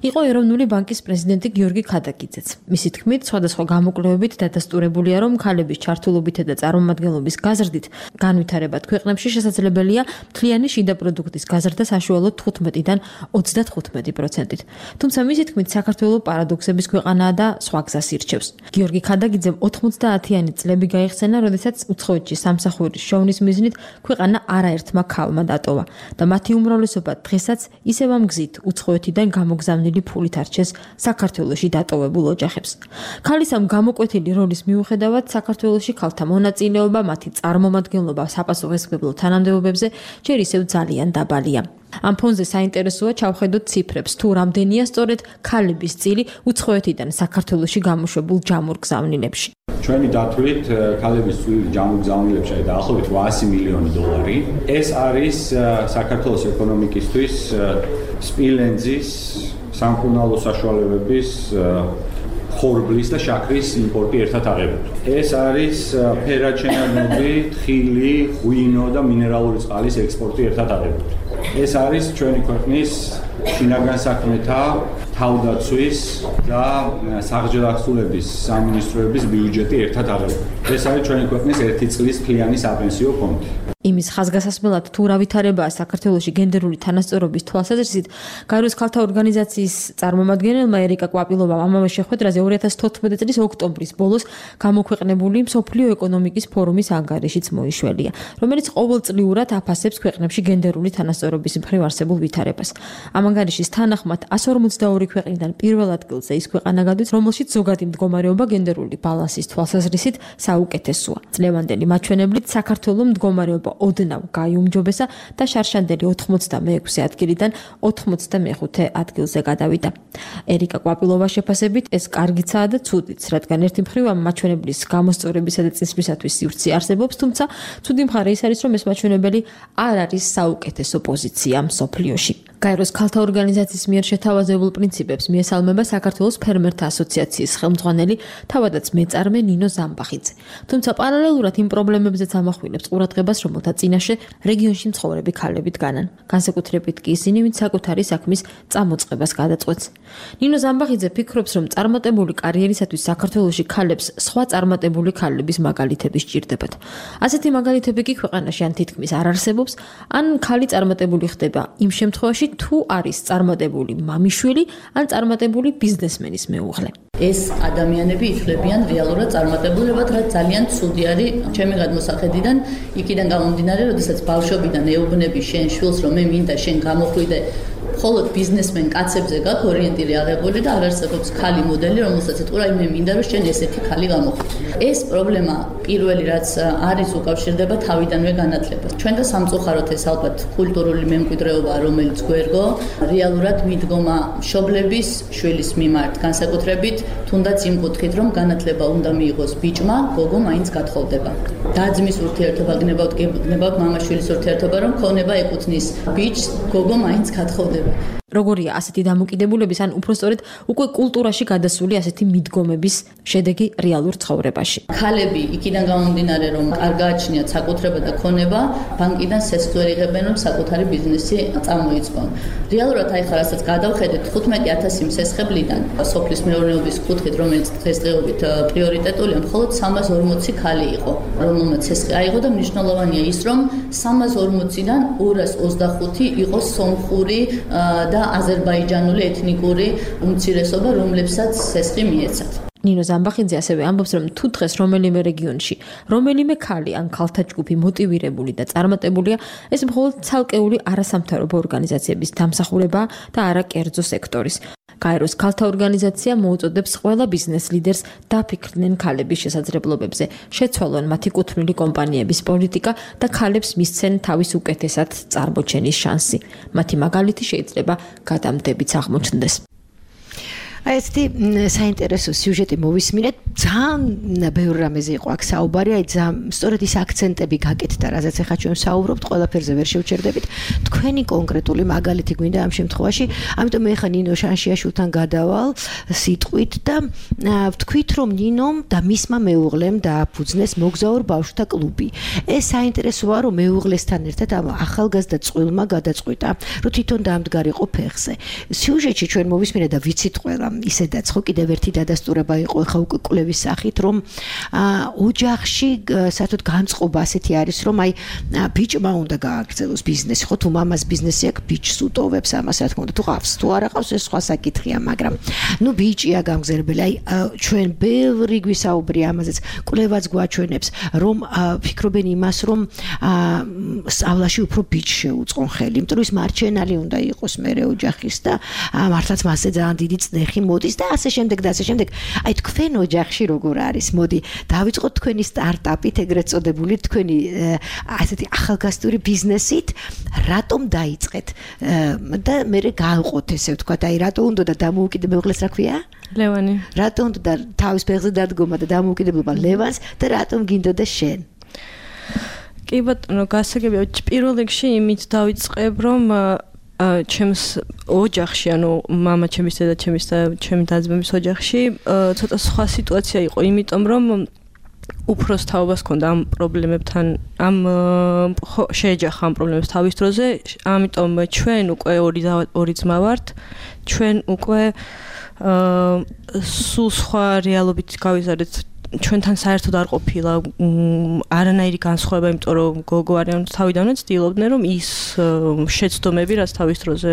იყო ეროვნული ბანკის პრეზიდენტი გიორგი ქადაგიძეც. მისი თქმით, სხვადასხვა გამოკვლევებით დადასტურებულია, რომ ქალების ჩართულობით და წარმომადგენლობის გაზრდით განვითარებად ქვეყნებში შესაძლებელია მთლიანი შიდა პროდუქტის გაზრდა საშუალოდ 15-დან 35%-ით. თუმცა მისი თქმით, საქართველო პარადოქსების ქვეყანაა და სხვა გზას ირჩევს. გიორგი ქადაგიძემ 90-იანი წლები გაიხსენა, როდესაც უცხოეთში სამსახურის შოვნის მიზნით ქვეყანა არაერთმა ქალმა დატოვა და მათი უმრავლესობა დღესაც ისევ ამ გზით უცხოეთიდან გამოგზავნილი ფულით არჩეს საქართველოში დატოვებულ ოჯახებს. ქალის ამ გამოკვეთილი როლის მიუხედავად საქართველოში ქალთა მონაწილეობა, მათი წარმომადგენლობა საპასუხისმგებლო თანამდებობებზე ჯერ ისევ ძალიან დაბალია. ამ ფონზე საინტერესოა ჩავხედოთ ციფრებს, თუ რამდენია სწორედ ქალების წილი უცხოეთიდან საქართველოში გამოშვებულ ჯამურ-გზავნილებში. ჩვენი დათვლით ქალების წილი ჯამურ-გზავნილებში დაახლოებით $800 მილიონი. ეს არის საქართველოს ეკონომიკისთვის სპილენძის, სამკურნალო საშუალებების ხორბლის და შაქრის იმპორტი ერთად აღებული. ეს არის ფერაჩენადები, თხილი, ღვინო და მინერალური წყალის ექსპორტი ერთად აღებული. ეს არის ჩვენი ქვეყნის შინაგან საქმეთა, თავდაცვის და საღჯერ ახსულების სამინისტროების ბიუჯეტი ერთად აღებული. ეს არის ჩვენი ქვეყნის ერთი წლის მთლიანი საპენსიო ფონდი. იმის ხაზგასასმელად თუ რა ვითარებაა საქართველოში გენდერული თანასწორობის თვალსაზრისით, გაეროს ქალთა ორგანიზაციის წარმომადგენელმა ერიკა კვაპილოვამ ამავე შეხვედრაზე 2014 წლის ოქტომბრის ბოლოს გამოქვეყნებული მსოფლიო ეკონომიკის ფორუმის ანგარიშიც მოიშველია, რომელიც ყოველწლიურად აფასებს ქვეყნებში გენდერული თანასწორობის მხრივ არსებულ ვითარებას. ამ ანგარიშის თანახმად 152 ქვეყნიდან პირველ ადგილზე ის ქვეყანა გადადის, რომელშიც ზოგადი მდგომარეობა გენდერული ბალანსის თვალსაზრისით საუკეთესოა. წლევანდელი მაჩვენებლით საქართველოს მდგომარეობა ოდნავ გაიუმჯობესა და შარშანდელი 86 ადგილიდან 95 ადგილზე გადავიდა. ერიკა კვაპილოვას შეფასებით ეს კარგიცაა და ცუდიც, რადგან ერთი მხრივ ამ მაჩვენებლის გამოსწორებისა და წინსვლისათვის სივრცე არსებობს, თუმცა ცუდი მხარე ის არის, რომ ეს მაჩვენებელი არ არის საუკეთესო პოზიცია მსოფლიოში. გაეროს ქალთა ორგანიზაციის მიერ შეთავაზებულ პრინციპებს მიესალმება საქართველოს ფერმერთა ასოციაციის ხელმძღვანელი, თავადაც მეწარმე ნინო ზამბახიძე. თუმცა პარალელურად იმ პრობლემებზეც ამახვილებს ყურადღებას, რომელთა წინაშე რეგიონში მცხოვრები ქალები დგანან. განსაკუთრებით კი ისინი, ვინც საკუთარი საქმის წამოწყებას გადაწყვეტს. ნინო ზამბახიძე ფიქრობს, რომ წარმატებული კარიერისათვის საქართველოში ქალებს სხვა წარმატებული ქალების მაგალითები სჭირდებათ. ასეთი მაგალითები კი ქვეყანაში ან თითქმის არ არსებობს, ან ქალი წარმატებული ხდება იმ შემთხვევაში, თუ არის წარმატებული მამიშვილი ან წარმატებული ბიზნესმენის მეუღლე. ეს ადამიანები ითვლებიან რეალურად წარმატებულებად, რაც ძალიან ცუდი არის ჩემი გადმოსახედიდან, იქიდან გამომდინარე, როდესაც ბავშვობიდან ეუბნები შენ შვილს, რომ მე მინდა შენ გამოხვიდე მხოლოდ ბიზნესმენ კაცებზე გაქვს ორიენტირებული აღებული და არ არსებობს ქალი მოდელი, რომელსაც ეთქვა, მე მინდა რომ შენ ესეთი ქალი გამოხვიდე. ეს პრობლემა პირველი რაც არის უკავშირდება თავიდანვე განათლებას. ჩვენ და სამწუხაროდ ეს ალბათ კულტურული მემკვიდრეობა, რომელიც გვერგო, რეალურად მიდგომა მშობლების შვილის მიმართ, განსაკუთრებით თუნდაც იმ კუთხით, რომ განათლება უნდა მიიღოს ბიჭმა, გოგო მაინც გათხოვდება. დაძმის ურთიერთობა გნებავთ მამაშვილის ურთიერთობა, რომ ქონება ეკუთვნის ბიჭს, გოგო მაინც გათხოვდება. როგორია ასეთი დამოკიდებულების ან უпростоრედ უკვე კულტურაში გადასული ასეთი მიდგომების შედეგი რეალურ ცხოვრებაში. ქალები იქიდან გამომდინარე, რომ არ გააჩნიათ საკუთრება და ქონება, ბანკიდან სესხს ვერ იღებენ, რომ საკუთარი ბიზნესი წამოიწყონ. რეალურად აი ხარ ასაც გადავხედეთ 15000 მსესხებლიდან სოფლის მეურნეობის კუთხით, რომელიც დღესდღეობით პრიორიტეტულია, მხოლოდ 340 ქალი იყო, რომელმაც სესხი აიღო და მნიშვნელოვანია ის, რომ 340-დან 225 იყო სომხური და აზერბაიჯანული ეთნიკური უმცირესობა, რომლებსაც სესხი მიეცათ. ნინო ზამბახიძე ასევე ამბობს, რომ თუ დღეს რომელიმე რეგიონში, რომელიმე ქალი ან ქალთა ჯგუფი მოტივირებული და წარმატებულია, ეს მხოლოდ ცალკეული არასამთავრობო ორგანიზაციების დამსახურებაა და არა კერძო სექტორის. გაეროს ქალთა ორგანიზაცია მოუწოდებს ყველა ბიზნეს ლიდერს დაფიქრდნენ ქალების შესაძლებლობებზე, შეცვალონ მათი კუთვნილი კომპანიების პოლიტიკა და ქალებს მისცენ თავის უკეთესად წარმოჩენის შანსი. მათი მაგალითი შეიძლება გადამდებიც აღმოჩნდეს. აი ესეთი საინტერესო სიუჟეტი მოვისმინეთ, ძალიან ბევრ რამეზე იყო აქ საუბარი, აი სწორედ ის აქცენტები გაკეთდა, რაზეც ახლა ჩვენ საუბრობთ, ყველაფერზე ვერ შევჩერდებით. თქვენი კონკრეტული მაგალითი გვინდა ამ შემთხვევაში, ამიტომ მე ხა ნინო შანშიაშვილთან გადავალ სიტყვით და ვთქვით, რომ ნინომ და მისმა მეუღლემ დააფუძნეს მოგზაურ ბავშვთა კლუბი. ეს საინტერესოა, რომ მეუღლესთან ერთად ამ ახალგაზრდა წყვილმა გადაწყვიტა, რომ თვითონ დაამდგარიყო ფეხზე. სიუჟეტში ჩვენ მოვისმინეთ და ვიცით ყველა ისედაც ხო კიდევ ერთი დადასტურება იყო ხა უკვე კვლევის სახით, რომ ოჯახში საერთოდ განწყობა ასეთი არის, რომ აი ბიჭმა უნდა გააგრძელოს ბიზნესი, ხო თუ მამას ბიზნესი აქვს, ბიჭს უტოვებს ამას, რა თქმა უნდა, თუ ყავს, თუ არ ყავს, ეს სხვა საკითხია, მაგრამ ნუ ბიჭია გამგზელებელი, აი ჩვენ ბევრი გვისაუბრია ამაზეც, კვლევაც გვაჩვენებს, რომ ფიქრობენ იმას, რომ სწავლაში უფრო ბიჭს შეუწყონ ხელი, იმიტომ რომ ის მარჩენალი უნდა იყოს მერე ოჯახის და მართლაც მასზე ძალიან დიდი წნეხი მოდის და ასე შემდეგ და ასე შემდეგ. აი თქვენ ოჯახში როგორ არის? მოდი დავიწყოთ თქვენი სტარტაპით, ეგრეთ წოდებული თქვენი ასეთი ახალგაზრდული ბიზნესით, რატომ დაიწყეთ და მე გავყოთ ესე ვთქვათ, აი რატო უნდა და დამოუკიდებლობას რა ქვია? ლევანი. რატო უნდა და თავის ფეხზე დადგომა და დამოუკიდებლობა ლევანს და რატომ გინდოდა შენ? კი ბატონო, გასაგებია, პირველ რიგში იმით დავიწყებ, რომ ჩემს ოჯახში, ანუ მამა ჩემის და ჩემის და ჩემი და-ძმების ოჯახში ცოტა სხვა სიტუაცია იყო, იმიტომ რომ უფროს თაობას ჰქონდა ამ პრობლემებთან, შეეჯახა ამ პრობლემებს თავის დროზე, ამიტომ ჩვენ უკვე ორი ძმა ვართ, ჩვენ უკვე სულ სხვა რეალობით გავიზარდეთ ჩვენთან საერთოდ არ ყოფილა არანაირი განსხვავება, იმიტომ რომ გოგო არიან თავიდანვე ცდილობდნენ რომ ის შეცდომები, რაც თავის დროზე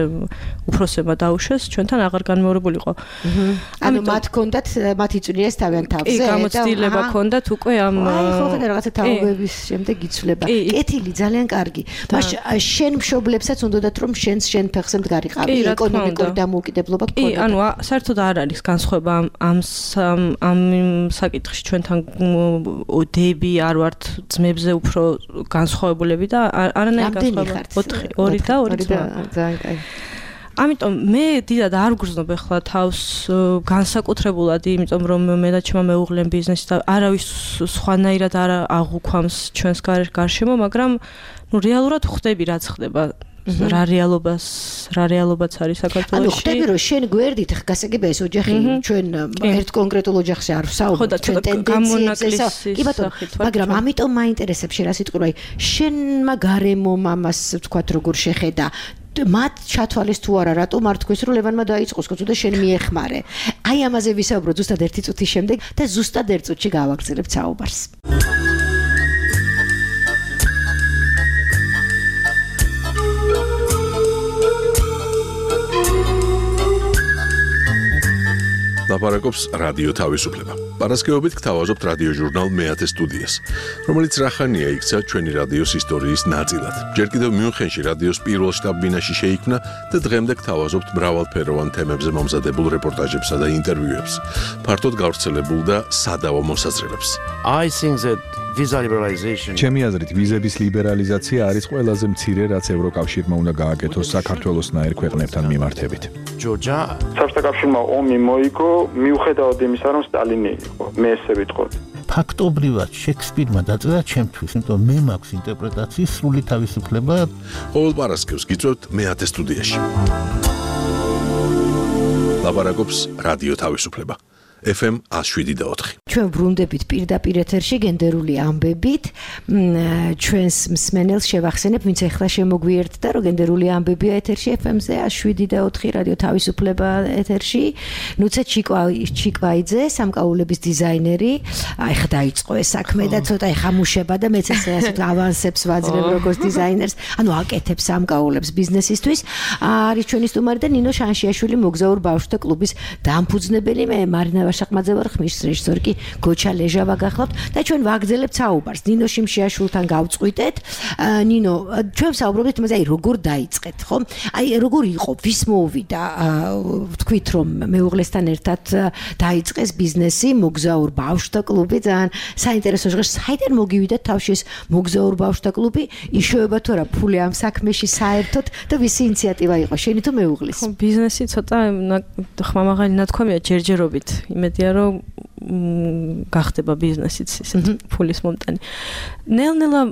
უფროსებმა დაუშვეს, ჩვენთან აღარ განმეორებულიყო. ანუ მათ ჰქონდათ მათი წვლიეს თავიანთ თავზე და გამოცდილება ჰქონდათ უკვე ამ ხო ხოდა რაღაცა თაობების შემდეგ იცვლება. კეთილი ძალიან კარგი. მაშინ შენ მშობლებსაც უნდათ რომ შენ ფეხზე მდგარიყავი ეკონომიკური დამოუკიდებლობა გქონდა. კი, ანუ საერთოდ არ არის განსხვავება ამ საკითხში ჩვენთან დები არ ვართ ძმებზე უფრო განსხვავებულები და არანაირი განსხვავება 4 და 2 ძმა. ძალიან კაი. ამიტომ მე დიდად არ გრძნობ ახლა თავს განსაკუთრებულად, იმიტომ რომ მე და ჩემმა მეუღლემ ბიზნესი და არავის სხვანაირად არ აღუქვამს ჩვენს გარშემო, მაგრამ ნუ რეალურად ხვდები რაც ხდება. რა რეალობაც არის საქართველოში. ანუ ხტები რომ შენ გვერდით გასაგებია ეს ოჯახი ჩვენ ერთ კონკრეტულ ოჯახში არ ვსაუბრობთ ჩვენ ტენდენციებზე. კი ბატონო, მაგრამ ამიტომ მაინტერესებს შენ რა სიტყვი, აი შენმა გარემომ ამას ვთქვათ როგორ შეხედა მათ ჩათვალეს თუ არა რატომ არ თქვეს რომ ლევანმა დაიწყოს კაცო და შენ მიეხმარე. აი ამაზე ვისაუბროთ ზუსტად 1 წუთის შემდეგ და ზუსტად 1 წუთში გავაგრძელებთ საუბარს. ლაპარაკობს რადიო თავისუფლება. პარასკევობით გთავაზობთ რადიო ჟურნალ მეათე სტუდიას, რომელიც რახანია იქცა ჩვენი რადიოს ისტორიის ნაწილად. ჯერ კიდევ მიუნხენში რადიოს პირველ შტაბ-ბინაში შეიქმნა და დღემდე გთავაზობთ მრავალფეროვან თემებზე მომზადებულ რეპორტაჟებსა და ინტერვიუებს, ფართოდ გავრცელებულ და სადავო მოსაზრებებს. I think that visa liberalization ჩემი აზრით ვიზების ლიბერალიზაცია არის ყველაზე მცირე, რაც ევროკავშირმა უნდა გააკეთოს საქართველოსნაირ ქვეყნებთან მიმართებით. Georgia საბჭოთა კავშირმა ომი მოიგო მიუხედავად იმისა, რომ სტალინი იყო. მე ესე ვიტყოდ. ფაქტობრივად შექსპირმა დაწერა ჩემთვის, იმიტომ მე მაქვს ინტერპრეტაციის სრული თავისუფლება. ყოველ პარასკევს გიწევთ მეათე სტუდიაში. ლაპარაკობს რადიო თავისუფლება. FM 107.4. ჩვენ ბრუნდებით პირდაპირ ეთერში გენდერული ამბებით. ჩვენს მსმენელს შევახსენებ, ვინც ახლა შემოგვიერთდა, რომ გენდერული ამბებია ეთერში FM-ზე 107.4 რადიო თავისუფლება ეთერში. ნუცე ჩიკვაიძე, სამკაულების დიზაინერი. აი ხა დაიწყო ეს საქმე და ცოტა ეხამუშება და მეც ესე ავანსებს ვაძლევ როგორც დიზაინერს. ანუ აკეთებს სამკაულებს ბიზნესისთვის. არის ჩვენი სტუმარი და ნინო შანშიაშვილი მოგზაურ ბავშვთა კლუბის დამფუძნებელი. მე მარინა ვაშაყმაძე ვარ, ხმის რეჟისორი კი გოჩა ლეჟავა გახლავთ და ჩვენ ვაგრძელებთ საუბარს. ნინო შიმშიაშვილთან გავწყვიტეთ. ნინო, ჩვენ საუბრობთ იმაზე, აი როგორ დაიწყეთ, ხო? აი როგორ იყო, ვის მოუვიდა, ვთქვით რომ მეუღლესთან ერთად დაიწყეს ბიზნესი, მოგზაურ ბავშვთა კლუბი, ძალიან საინტერესო ჟღერს. საიდან მოგივიდათ თავში ეს მოგზაურ ბავშვთა კლუბი? იშოვება თუ არა ფული ამ საქმეში საერთოდ და ვისი ინიციატივა იყო, შენი თუ მეუღლის? ხო, ბიზნესი ცოტა ხმამაღალი ნათქვამია ჯერჯერობით. იმედია რომ გახდება ბიზნესიც ისეთ ფულის მომტანი. ნელ-ნელა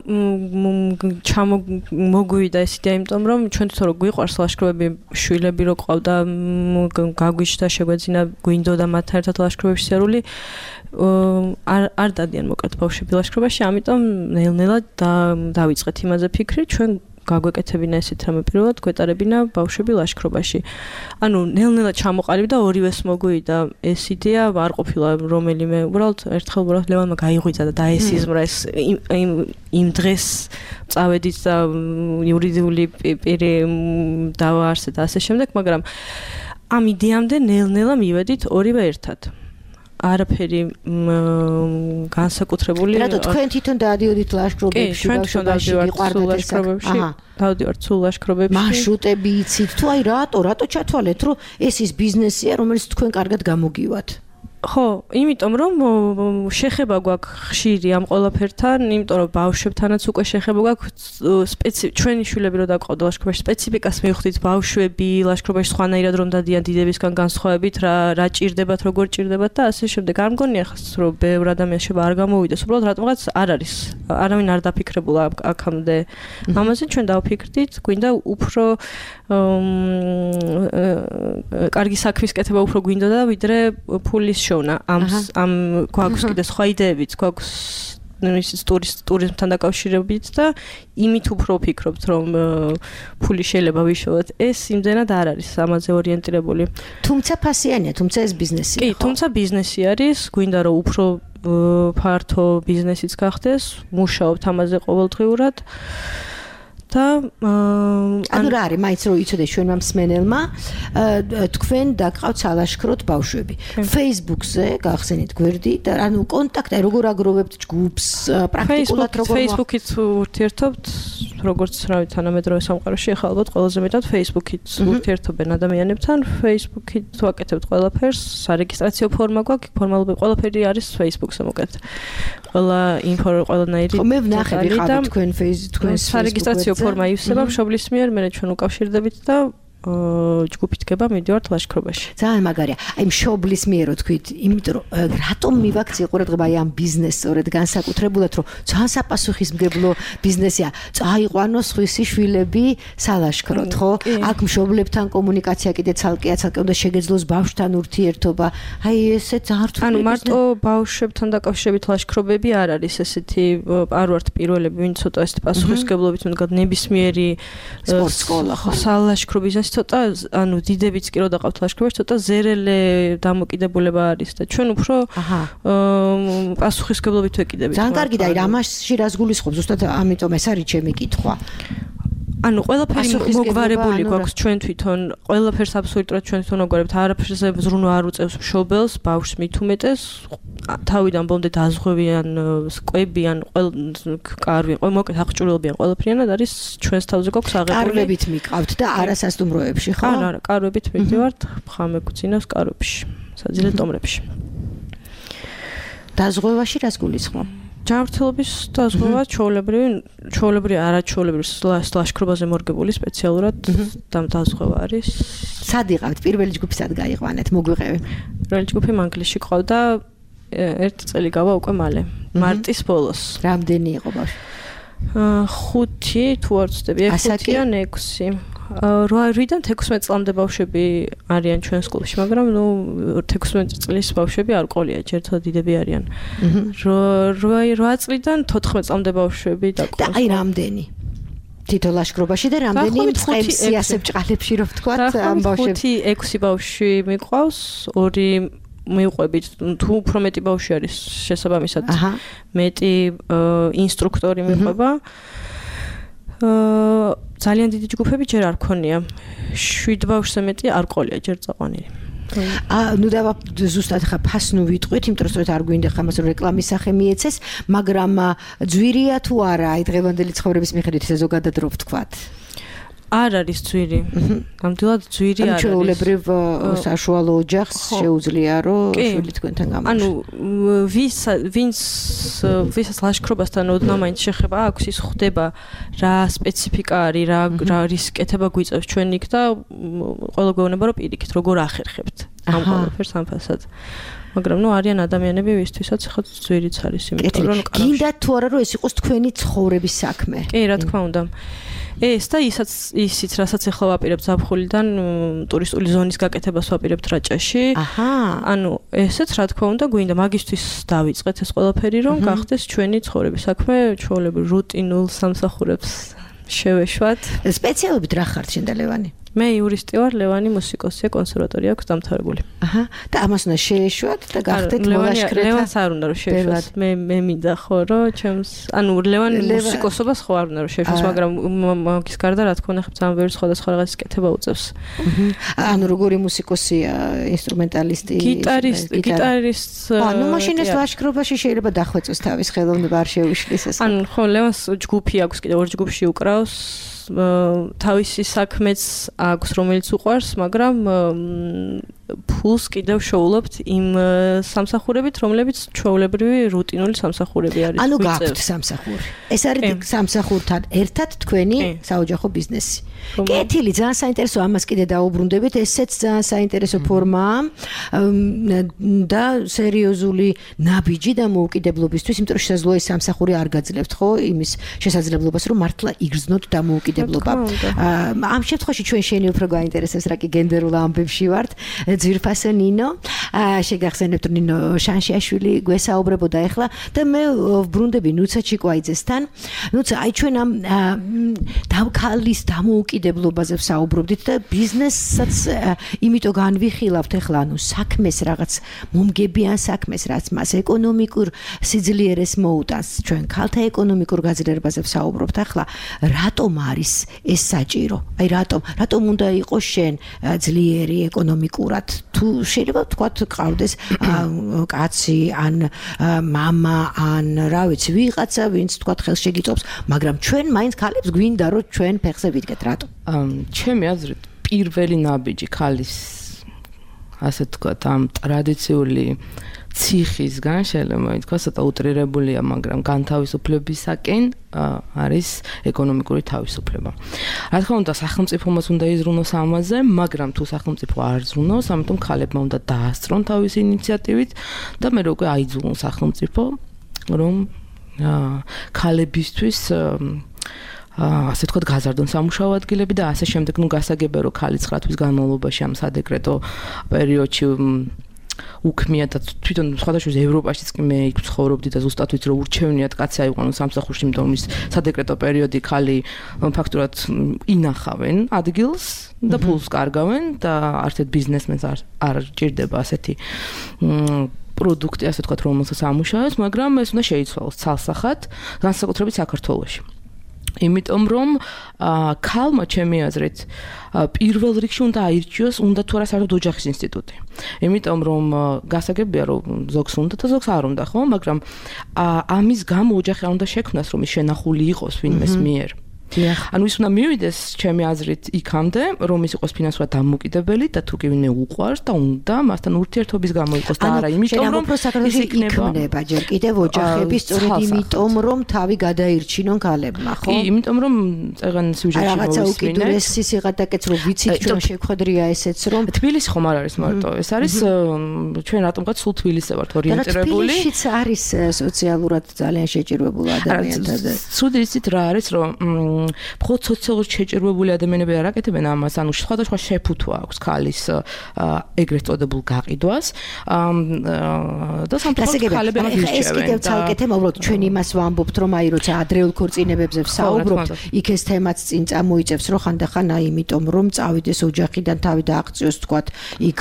მოგვივიდა ეს იდეა, იმიტომ რომ ჩვენ თვითონ რო გვიყვარს ლაშქრობები, შვილები რო ყავდა, გაგვიჩნდა შეგვეძინა, გვინდოდა მათთან ერთად ლაშქრობებში სერული, არ დადიან მოკლედ ბავშვები ლაშქრობაში, ამიტომ ნელ-ნელა დავიწყეთ იმაზე ფიქრი, ჩვენ გაგვეკეთებინა ესეთ რამე პირველად, გვეტარებინა ბავშვები ლაშქრობაში. ანუ ნელ-ნელა ჩამოყალიბდა ორივეს მოგვივიდა ეს იდეა, არ ყოფილა რომელიმე, უბრალოდ ერთხელ ლევანმა გაიღვიძა და დაესიზმრა ეს იმ დღეს წავედით და იურიდიული პირი დავაარსეთ და ასე შემდეგ, მაგრამ ამ იდეამდე ნელ-ნელა მივედით ორივე ერთად. არაფერი განსაკუთრებული. რატო თქვენ თვითონ დაადიოდით ლაშქრობებში, ბავშვობაში გიყვარდათ ეს საქმე? დავდივართ სულ ლაშქრობებში. მარშრუტები იცით თუ აი რატო ჩათვალეთ, რომ ეს ის ბიზნესია, რომელიც თქვენ კარგად გამოგივათ? ხო, იმიტომ რომ შეხება გვაქვს ხშირი ამ ყველაფერთან, იმიტომ რომ ბავშვებთანაც უკვე შეხება გვაქვს ჩვენი შვილები რო დაყავდა ლაშქრობაში, სპეციფიკას მივხვდით ბავშვები ლაშქრობაში სხვანაირად რომ დადიან დიდებისგან განსხვავებით, რა ჭირდებათ, როგორ ჭირდებათ და ასე შემდეგ. არ მგონია რომ ბევრ ადამიანს შეება არ გამოვიდეს, უბრალოდ რატომღაც არ არის. არავინ არ დაფიქრებულა აქამდე. ამაზე ჩვენ დავფიქრდით, გვინდა უფრო კარგი საქმის კეთება უფრო გვინდოდა ვიდრე ფულის შოვნა. ამ გვაქვს კიდე სხვა იდეებიც, გვაქვს ისიც ტურიზმთან დაკავშირებით და იმით უფრო ვფიქრობთ, რომ ფული შეიძლება ვიშოვოთ. ეს იმდენად არ არის ამაზე ორიენტირებული. თუმცა ფასიანია, თუმცა ეს ბიზნესია. კი, თუმცა ბიზნესი არის, გვინდა რომ უფრო ფართო ბიზნესიც გახდეს, მუშაობთ ამაზე ყოველდღიურად. და ანუ რა არის, მაინც რომ იცოდეს ჩვენმა მსმენელმა, თქვენ დაგყავთ სალაშქროდ ბავშვები. Facebook-ზე გახსენით გვერდი და ანუ კონტაქტი როგორ აგროვებთ ჯგუფს, პრაქტიკულად როგორ Facebook-ით ურთიერთობთ, როგორც რავი თანამედროვე სამყაროში ახლა ალბათ ყველაზე მეტად Facebook-ით ურთიერთობენ ადამიანებთან, Facebook-ით ვაკეთებთ ყველაფერს, სარეგისტრაციო ფორმა გვაქვს, ფორმალურად ყველაფერი არის Facebook-ზე მოკეთ. ყველა ინფო ყველანაირი. მე ვნახე ვიყავით თქვენ თქვენ სარეგისტრაციო ფორმა ივსება მშობლის მიერ, მე ჩვენ უკავშირდებით და ჯგუფით გება მიდივართ ლაშქრობაში. ძალიან მაგარია. აი მშობლის მიერ თქვით, იმიტომ რომ რატომ მივაქცია ყურადღება აი ამ ბიზნესს სწორედ განსაკუთრებულად, რომ ძალიან საპასუხისმგებლო ბიზნესია. წაიყვანოს ხვისი შვილები სალაშქროდ, ხო? აქ მშობლებთან კომუნიკაცია კიდე ცალკე უნდა შეგეძლოს ბავშვთან ურთიერთობა. აი ესე ძალიან რთული. ანუ მარტო ბავშვებთან დაკავშირებით ლაშქრობები არ არის ესეთი, არ ვართ პირველები, ვინც ცოტა ესეთი პასუხისმგებლობით მდგარ ნებისმიერი სპორტ სკოლა, ხო? სალაშქრო ბიზნესი ცოტა ანუ დიდებიც კი რო დაყავთ ლაშქრობაში ცოტა ზერელე დამოკიდებულება არის და ჩვენ უფრო პასუხისმგებლობით ვეკიდებით. ძალიან კარგი და აი ამაში რას გულისხმობ ზუსტად ამიტომ ეს არის ჩემი კითხვა. ანუ ყველაფერი მოგვარებული გვაქვს ჩვენ თვითონ, ყველაფერს აბსოლუტურად ჩვენ თვითონ მოგვარებთ, არაფერზე ზრუნვა არ უწევს მშობელს, ბავშვს მით უმეტეს, თავიდან ბოლომდე დაზღვევიან, სკვებიან, კარვი, მოკლედ აღჭურვილებიან ყველაფრიანად არის ჩვენს თავზე გვაქვს აღებული. კარვებით მიყავთ და არასასტუმროებში, ხო? არა, კარვებით მივდივართ, ხამე გვწინავს კარვებში, საძილე ტომრებში. დაზღვევაში რას გულისხმობ? ჯანმრთელობის დაზღვევა ჩვეულებრივი არაჩვეულებრივი ლაშქრობაზე მორგებული სპეციალურად დაზღვევა არის. სად იყავთ? პირველი ჯგუფი სად გაიყვანეთ? მოგვიყევი. პირველი ჯგუფი მანგლისში ყავდა 1 წელი გავა უკვე მალე. მარტის ბოლოს. რამდენი იყო ბავშვი? 5 თუ არ ვცდები, 6 ან 6. 8-დან 16 წლამდე ბავშვები არიან ჩვენ სკოლაში, მაგრამ ნუ 16 წლის ბავშვები არ ყოლია, ჯერთ დიდები არიან. 8 წლიდან 14 წლამდე ბავშვები და აი რამდენი? თითო ლაშქრობაში და რამდენი მწყემსი ასე ბჭყალებში რო ვთქვათ ამ ბავშვებს? 5-6 ბავშვი მიყვავს, 2 მივყვებით, თუ უფრო მეტი ბავშვი არის შესაბამისად. მეტი ინსტრუქტორი მიყვება. ძალიან დიდი ჯგუფები ჯერ არ ქონია. 7 ბავშვზე მეტი არ ყოლია ჯერ წაყვანილი. ნუ დავა ზუსტად ხა ფასნუ ვიტყვით, იმიტომ რომ არ გვინდა ხა მას რეკლამის სახე მიეცეს, მაგრამ ძვირია თუ არა აი დღევანდელი ცხოვრების მიხედვით ესე ზოგადად რო ვთქვათ? არ არის ძვირი. ნამდვილად ძვირი არ არის. ჩვეულებრივ საშუალო ოჯახს შეუძლია რომ შვილი თქვენთან გამარჯვოს. ანუ ვისაც ლაშქრობასთან ოდნავ მაინც შეხება აქვს, ის ხვდება რა სპეციფიკა არის, რა რისკეთება გვიწევს ჩვენ იქ და ყველა გვეუბნება რომ პირიქით როგორ ახერხებთ ამ ყველაფერს ამ ფასად. მაგრამ ნუ არიან ადამიანები, ვისთვისაც ხა ძვირიც არის, იმიტომ რომ გინდათ თუ არა რომ ეს იყოს თქვენი ცხოვრების საქმე. კი, რა თქმა უნდა. ეს და ისიც რასაც ახლა ვაპირებ ზაფხულიდან ტურისტული ზონის გაკეთებას ვაპირებთ რაჭაში. ანუ ესეც რა თქმა უნდა გვინდა მაგისთვის დავიწყეთ ეს ყველაფერი რომ გახდეს ჩვენი ცხოვრების საქმე, ჩვეულებრივ რუტინულ სამსახურებს შევეშვათ. სპეციალობით რა ხართ შენ და ლევანი? მე იურისტი ვარ, ლევანი მუსიკოსია, კონსერვატორია აქვს დამთავრებული. და ამას უნდა შეეშვათ და გახდეთ მოლაშქრეთა. ლევანს არ უნდა რომ შეეშვათ. მე მინდა ხო რომ ჩემს, ანუ ლევანი მუსიკოსობას ხო არ უნდა რომ შეეშვას, მაგრამ მაგის გარდა რა თქმა უნდა ძალიან ბევრი სხვადასხვა რაღაცის კეთება უწევს. ანუ როგორი მუსიკოსია, ინსტრუმენტალისტი, გიტარისტ. ანუ მაშინ ეს ლაშქრობაში შეიძლება დახვეწოს თავის ხელოვნება არ შეუშლის ეს. ანუ ხო ლევანს ჯგუფი აქვს კიდე 2 ჯგუფში უკრავს. თავისი საქმეც აქვს რომელიც უყვარს, მაგრამ ფულს კიდევ შოულობთ იმ სამსახურებით, რომლებიც ჩვეულებრივი რუტინული სამსახურები არის. ანუ გაქვთ სამსახური. ეს არის სამსახურთან ერთად თქვენი საოჯახო ბიზნესი. კეთილი, ძალიან საინტერესო, ამას კიდე დაუბრუნდებით, ესეც ძალიან საინტერესო ფორმაა და სერიოზული ნაბიჯი და მოუკიდებლობისთვის, იმიტომ რომ შესაძლოა ეს სამსახური არ გაძლევთ, ხო, იმის შესაძლებლობას, რომ მართლა იგრძნოთ დამოუკიდებლობა. ამ შემთხვევაში ჩვენ შენი უფრო გაინტერესებს, რა კი გენდერულ ამბებში ვართ. ძვირფას მოგესალმებასო ნინო. შეგახსენებთ ნინო შანშიაშვილი გვესაუბრებოდა ახლა და მე ვბრუნდები ნუცა ჩიკვაიძესთან. ნუცა აი ჩვენ ამ დავქალის დამოუკიდებლობაზე ვსაუბრობდით და ბიზნესაც იმიტომ განვიხილავთ ახლა ანუ საქმეს რაღაც მომგებიან საქმეს რაც მას ეკონომიკურ სიძლიერეს მოუტანს. ჩვენ ქალთა ეკონომიკურ გაძლიერებაზე ვსაუბრობთ ახლა. რატომ არის ეს საჭირო? აი რატომ უნდა იყოს შენ ძლიერი ეკონომიკურად? თუ შეიძლება ვთქვათ ყავდეს კაცი ან მამა ან რა ვიცი ვიღაცა ვინც ვთქვათ ხელს შეგიწობს, მაგრამ ჩვენ მაინც ქალებს გვინდა რომ ჩვენ ფეხზე ვიდგეთ რატომ? ჩემი აზრით პირველი ნაბიჯი ქალის ასე ვთქვათ ამ ტრადიციული ციხისგან შეიძლება ითქვას ცოტა უტრირებულია, მაგრამ განთავისუფლებისაკენ არის ეკონომიკური თავისუფლება. რა თქმა უნდა, სახელმწიფომაც უნდა იზრუნოს ამაზე, მაგრამ თუ სახელმწიფო არ ზრუნავს, ამიტომ ქალებმა უნდა დაასწრონ თავისი ინიციატივით და მე უკვე აიძულონ სახელმწიფო, რომ ქალებისთვის ასე თქვათ გაზარდონ სამუშაო ადგილები და ასე შემდეგ, გასაგებია რომ ქალი 9 თვის განმავლობაში ამ სადეკრეტო პერიოდში უქმია და თვითონ სხვადასხვა ევროპაშიც კი მე იქ ცხოვრობდი და ზუსტად ვიცი რომ ურჩევნიათ კაცი აიყვანონ სამსახურში, იმიტომ რომ ის სადეკრეტო პერიოდი ქალი ფაქტურად ინახავენ ადგილს და ფულს კარგავენ და არცეთ ბიზნესმენს არ ჭირდება ასეთი პროდუქტი, ასე ვთქვათ, რომელსაც ამუშავებს, მაგრამ ეს უნდა შეიცვალოს ცალსახად, განსაკუთრებით საქართველოში. იმიტომ რომ ქალმა ჩემი აზრით პირველ რიგში უნდა აირჩიოს უნდა თუ არა საერთოდ ოჯახის ინსტიტუტი. იმიტომ რომ გასაგებია რომ ზოგს უნდა და ზოგს არ უნდა, ხო? მაგრამ ამის გამო ოჯახი არ უნდა შექმნას რომ ის შენახული იყოს ვინმეს მიერ. ანუ ის უნდა მივიდეს ჩემი აზრით იქამდე, რომ ის იყოს ფინანსურად დამოუკიდებელი და თუ კი ვინმე უყვარს და უნდა მასთან ურთიერთობის გამო იყოს და არა იმიტომ რომ ის იქნება ჯერ კიდევ ოჯახები სწორედ იმიტომ რომ თავი გადაირჩინონ ქალებმა, ხო? კი, იმიტომ რომ წეგან სიუჟეტში რაღაცა უკიდურესი სიღატაკეც რომ ვიცით ჩვენ შეგვხედრია ესეც რომ თბილისი ხომ არ არის მარტო, ეს არის ჩვენ რატომღაც სულ თბილისზე ვართ ორიენტირებული. თბილისიც არის სოციალურად ძალიან შეჭირვებული ადამიანთა. ცუდი იცით რა არის რომ მხოლოდ სოციალურად შეჭირვებული ადამიანები არ აკეთებენ ამას, ანუ სხვადასხვა შეფუთვა აქვს ქალის ეგრეთ წოდებულ გაყიდვას და სამწუხაროდ ქალები ამას ირჩევენ. ეს კიდევ ცალკე თემა, უბრალოდ ჩვენ იმას ვამბობთ, რომ აი როცა ადრეულ ქორწინებებზე ვსაუბრობთ, იქ ეს თემაც წინ წამოიწევს, რომ ხანდახან აი იმიტომ რომ წავიდეს ოჯახიდან თავი დააღწიოს, თქვათ, იქ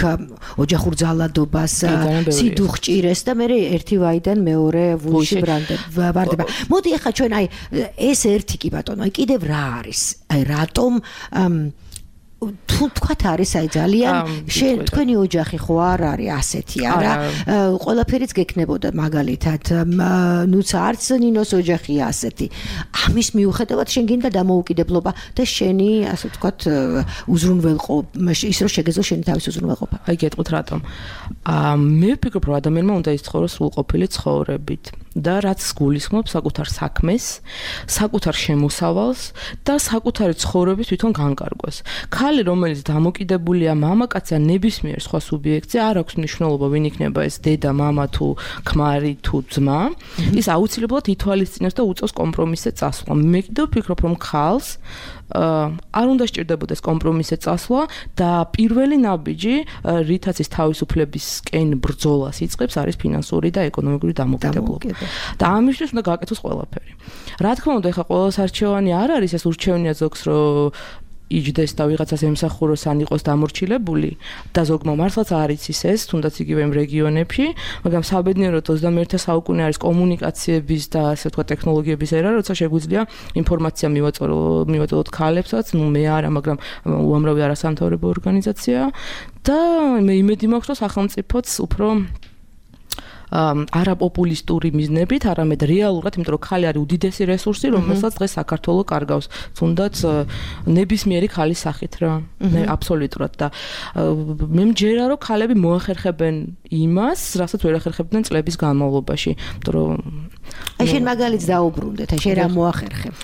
ოჯახურ ძალადობას, სიდუხჭირეს და მე ერთი ვაიდან მეორე ვულში ვრანდება. მოდი ახლა ჩვენ აი ეს ერთი კი ბატონო, აი კიდევ რა არის? აი რატომ თუ თქვათ არის აი ძალიან თქვენი ოჯახი ხო არ არის ასეთი არა ყველაფერიც გექნებოდა მაგალითად ნუცა არც ნინოს ოჯახია ასეთი ამის მიუხედავად შენ გინდა დამოუკიდებლობა და შენი ასე ვთქვათ უზრუნველყო ის რომ შეგეძლო შენი თავის უზრუნველყოფა აი გეტყვით რატომ მე ვფიქრობ რომ ადამიანმა უნდა იცხოვროს სრულყოფილი ცხოვრებით და რაც გულისხმობს საკუთარ საქმეს, საკუთარ შემოსავალს და საკუთარი ცხოვრების თვითონ განკარგვას. ქალი, რომელიც დამოკიდებულია მამაკაცზე ნებისმიერ სხვა სუბიექტზე, არ აქვს მნიშვნელობა, ვინ იქნება ეს დედა, მამა თუ ქმარი თუ ძმა, ის აუცილებლად ითვალისწინებს და უწევს კომპრომისზე წასვლა. მე კიდევ ვფიქრობ, რომ ქალს არ უნდა სჭირდებოდეს კომპრომისზე წასვლა და პირველი ნაბიჯი, რითაც ის თავისუფლებისკენ ბრძოლას იწყებს, არის ფინანსური და ეკონომიკური დამოუკიდებლობა. და ამისთვის უნდა გააკეთოს ყველაფერი. რა თქმა უნდა, ეხლა ყოველს არჩევანი არ არის ეს ურჩევნია ზოგს, რომ იჯდეს და ვიღაცას ემსახუროს ან იყოს დამორჩილებული და ზოგმა მართლაც არ იცის ეს, თუნდაც იგივე იმ რეგიონებში, მაგრამ საბედნიეროდ 21 საუკუნე არის კომუნიკაციების და ასე ვთქვათ ტექნოლოგიების ერა, როცა შეგვიძლია ინფორმაცია მივაწოდოთ ქალებსაც, ნუ მე არა, მაგრამ უამრავი არასამთავრობო ორგანიზაცია და მე იმედი მაქვს, რომ სახელმწიფოც უფრო არაპოპულისტური მიზნებით, არამედ რეალურად, იმიტომ რომ ქალი არის უდიდესი რესურსი, რომელსაც დღეს საქართველოს კარგავს, თუნდაც ნებისმიერი ქალის სახით რა. აბსოლუტურად და მე მჯერა რომ ქალები მოახერხებენ იმას, რასაც ვერ ახერხებდნენ წლების განმავლობაში, იმიტომ რომ აი შენ მაგალითს დაუბრუნდეთ, აი შენ რა მოახერხებ?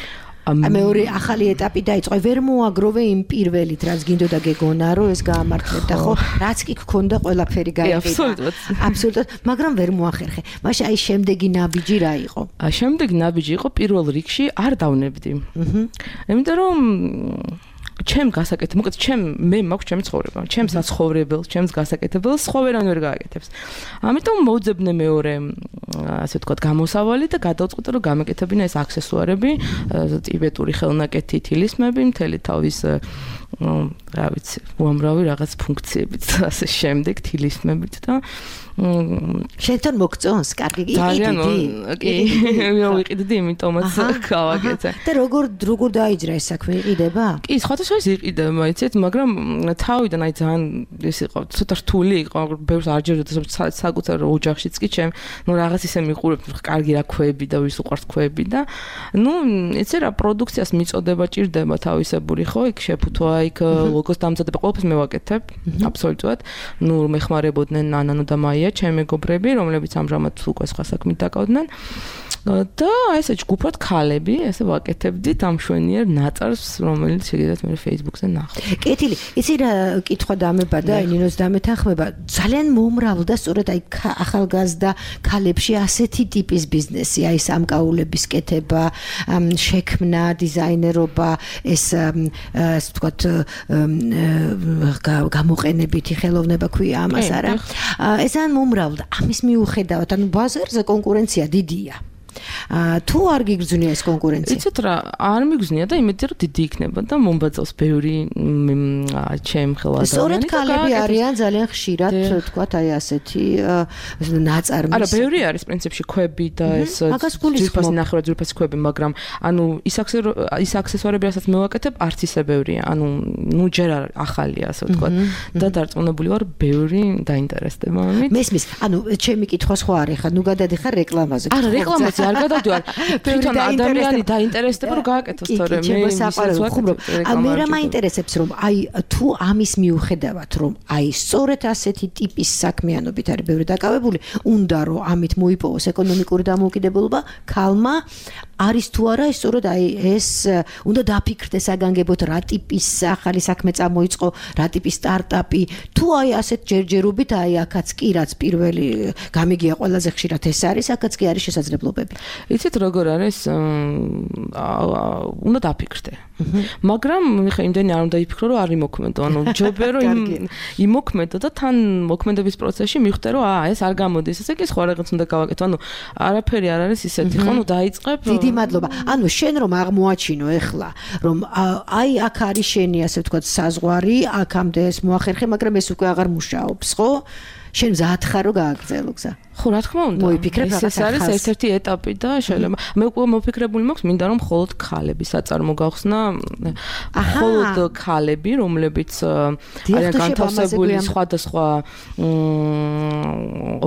მეორე ახალი ეტაპი დაიწყო. ვერ მოაგროვე იმ პირველით, რაც გინდოდა გეგონა, რომ ეს გაამართლებდა, ხო? რაც კი გქონდა, ყველაფერი გაიყიდა. აბსოლუტურად, მაგრამ ვერ მოახერხე. მაშინ აი შემდეგი ნაბიჯი რა იყო? შემდეგი ნაბიჯი იყო პირველ რიგში არ დავნებდი. იმიტომ რომ ჩემ გასაკეთებ, მოკლედ მე მაქვს ჩემი ცხოვრება, ჩემს საცხოვრებელს, ჩემს გასაკეთებელს სხვა ვერან ვერ გააკეთებს. ამიტომ მოვძებნე მეორე, ასე ვთქვათ, გამოსავალი და გადავწყვიტე, რომ გამეკეთებინა ეს აქსესუარები, ტიბეტური ხელნაკეთი, თილისმები, მთელი თავის რა ვიცი, უამრავი რაღაც ფუნქციებით და ასე შემდეგ, თილისმებით და შენთან მოგწონს, კარგი კი, ვიყიდი, იმიტომაც გავაკეთე. და როგორ დაიძრა ეს საქმე, იყიდება? კი, სხვადასხვა იყიდება, იცით, მაგრამ თავიდან აი ძალიან ეს იყო, ცოტა რთული იყო, ბევრს არ ჯერდოდა საკუთარ ოჯახშიც კი ჩემ, რაღაც ისე მიყურებთ, კარგი რა ქვები და ვის უყვართ ქვები და იცი რა, პროდუქციას მიწოდება ჭირდება თავისებური, ხო, იქ შეფუთვა, იქ ლოგოს დამზადება, ყველაფერს მე ვაკეთებ, აბსოლუტურად. მეხმარებოდნენ ნანანო და მაია ჩემი მეგობრები, რომლებიც ამჟამად უკვე სხვა საქმით დაკავდნენ. და ესე ჯგუფად ქალები, ესე ვაკეთებდით ამ შვენიერ ნაწარს, რომელიც შეგიძლიათ მე Facebook-ზე ნახოთ. კეთილი, იცი რა კითხვა დამებადა, ნინოს დამეთანხმება, ძალიან მომრავლდა სწორედ აი ახალგაზრდა ქალებში ასეთი ტიპის ბიზნესი, აი სამკაულების კეთება, შექმნა, დიზაინერობა, ეს ასე ვთქვათ, გამოყენებითი ხელოვნება ქვია ამას არა. ეს ძალიან მომრავლდა. ამის მიუხედავად, ანუ ბაზარზე კონკურენცია დიდია. თუ არ გიგრძნია ეს კონკურენცია? იცით რა, არ მიგრძნია და იმედია რომ დიდი იქნება და მომბაძავს ბევრი ჩემ ხელ ადამიანები. სწორედ ქალები არიან ძალიან ხშირად, თქვათ, აი ასეთი ნაწარმის. არა, ბევრი არის პრინციპში ქვები და ეს ძვირფასი ნახევრად ძვირფასი ქვები, მაგრამ ანუ ის აქსესუარები, რასაც მე ვაკეთებ, არც ისე ბევრია. ანუ ჯერ არ ახალია, ასე ვთქვათ. და დარწმუნებული ვარ, ბევრი დაინტერესდება ამით. მესმის, ანუ ჩემი კითხვა სხვა არის, ხა ნუ გადადიხარ რეკლამაზე. არა, რეკლამაზე არ გადავდივარ. თვითონ ადამიანი დაინტერესდება რომ გააკეთოს თორე მე საყარელო. მე რა მაინტერესებს რომ აი თუ ამის მიუხედავად რომ აი სწორედ ასეთი ტიპის საქმიანობით არის ბევრი დაკავებული, უნდა რომ ამით მოიპოვოს ეკონომიკური დამოუკიდებლობა ქალმა არის თუ არა ეს სწორედ აი ეს უნდა დაფიქრდეს აგანგებოთ რა ტიპის ახალი საქმე წამოიწყო, რა ტიპის სტარტაპი, თუ აი ასეთ ჯერჯერობით აი აქაც კი რაც პირველი გამიგია ყველაზე ხშირად ეს არის, აქაც კი არის შესაძლებლობები. იცით როგორ არის, უნდა დაფიქრდე. მაგრამ ხა იმდენი არ უნდა იფიქრო, რომ არ იმოქმედო, ანუ ჯობია რომ იმოქმედო და თან მოქმედების პროცესში მიხვდე, რომ ეს არ გამოდის, ესე კი სხვა რაღაც უნდა გავაკეთო, ანუ არაფერი არ არის ისეთი, ხო, ნუ დაიწყებ. დიდი მადლობა. ანუ შენ რომ აღმოაჩინო ეხლა, რომ აი აქ არის შენი, ასე ვთქვათ, საზღვარი, აქამდე ეს მოახერხე, მაგრამ ეს უკვე აღარ მუშაობს, ხო? შენ მზად ხარ რომ გააგრძელო გზა? ხო, რა თქმა უნდა. ეს არის ერთ-ერთი ეტაპი და შეიძლება მე უკვე მოფიქრებული მაქვს, მინდა რომ მხოლოდ ქალები საწარმო გავხსნა, მხოლოდ ქალები, რომლებიც არიან განთავსებული სხვადასხვა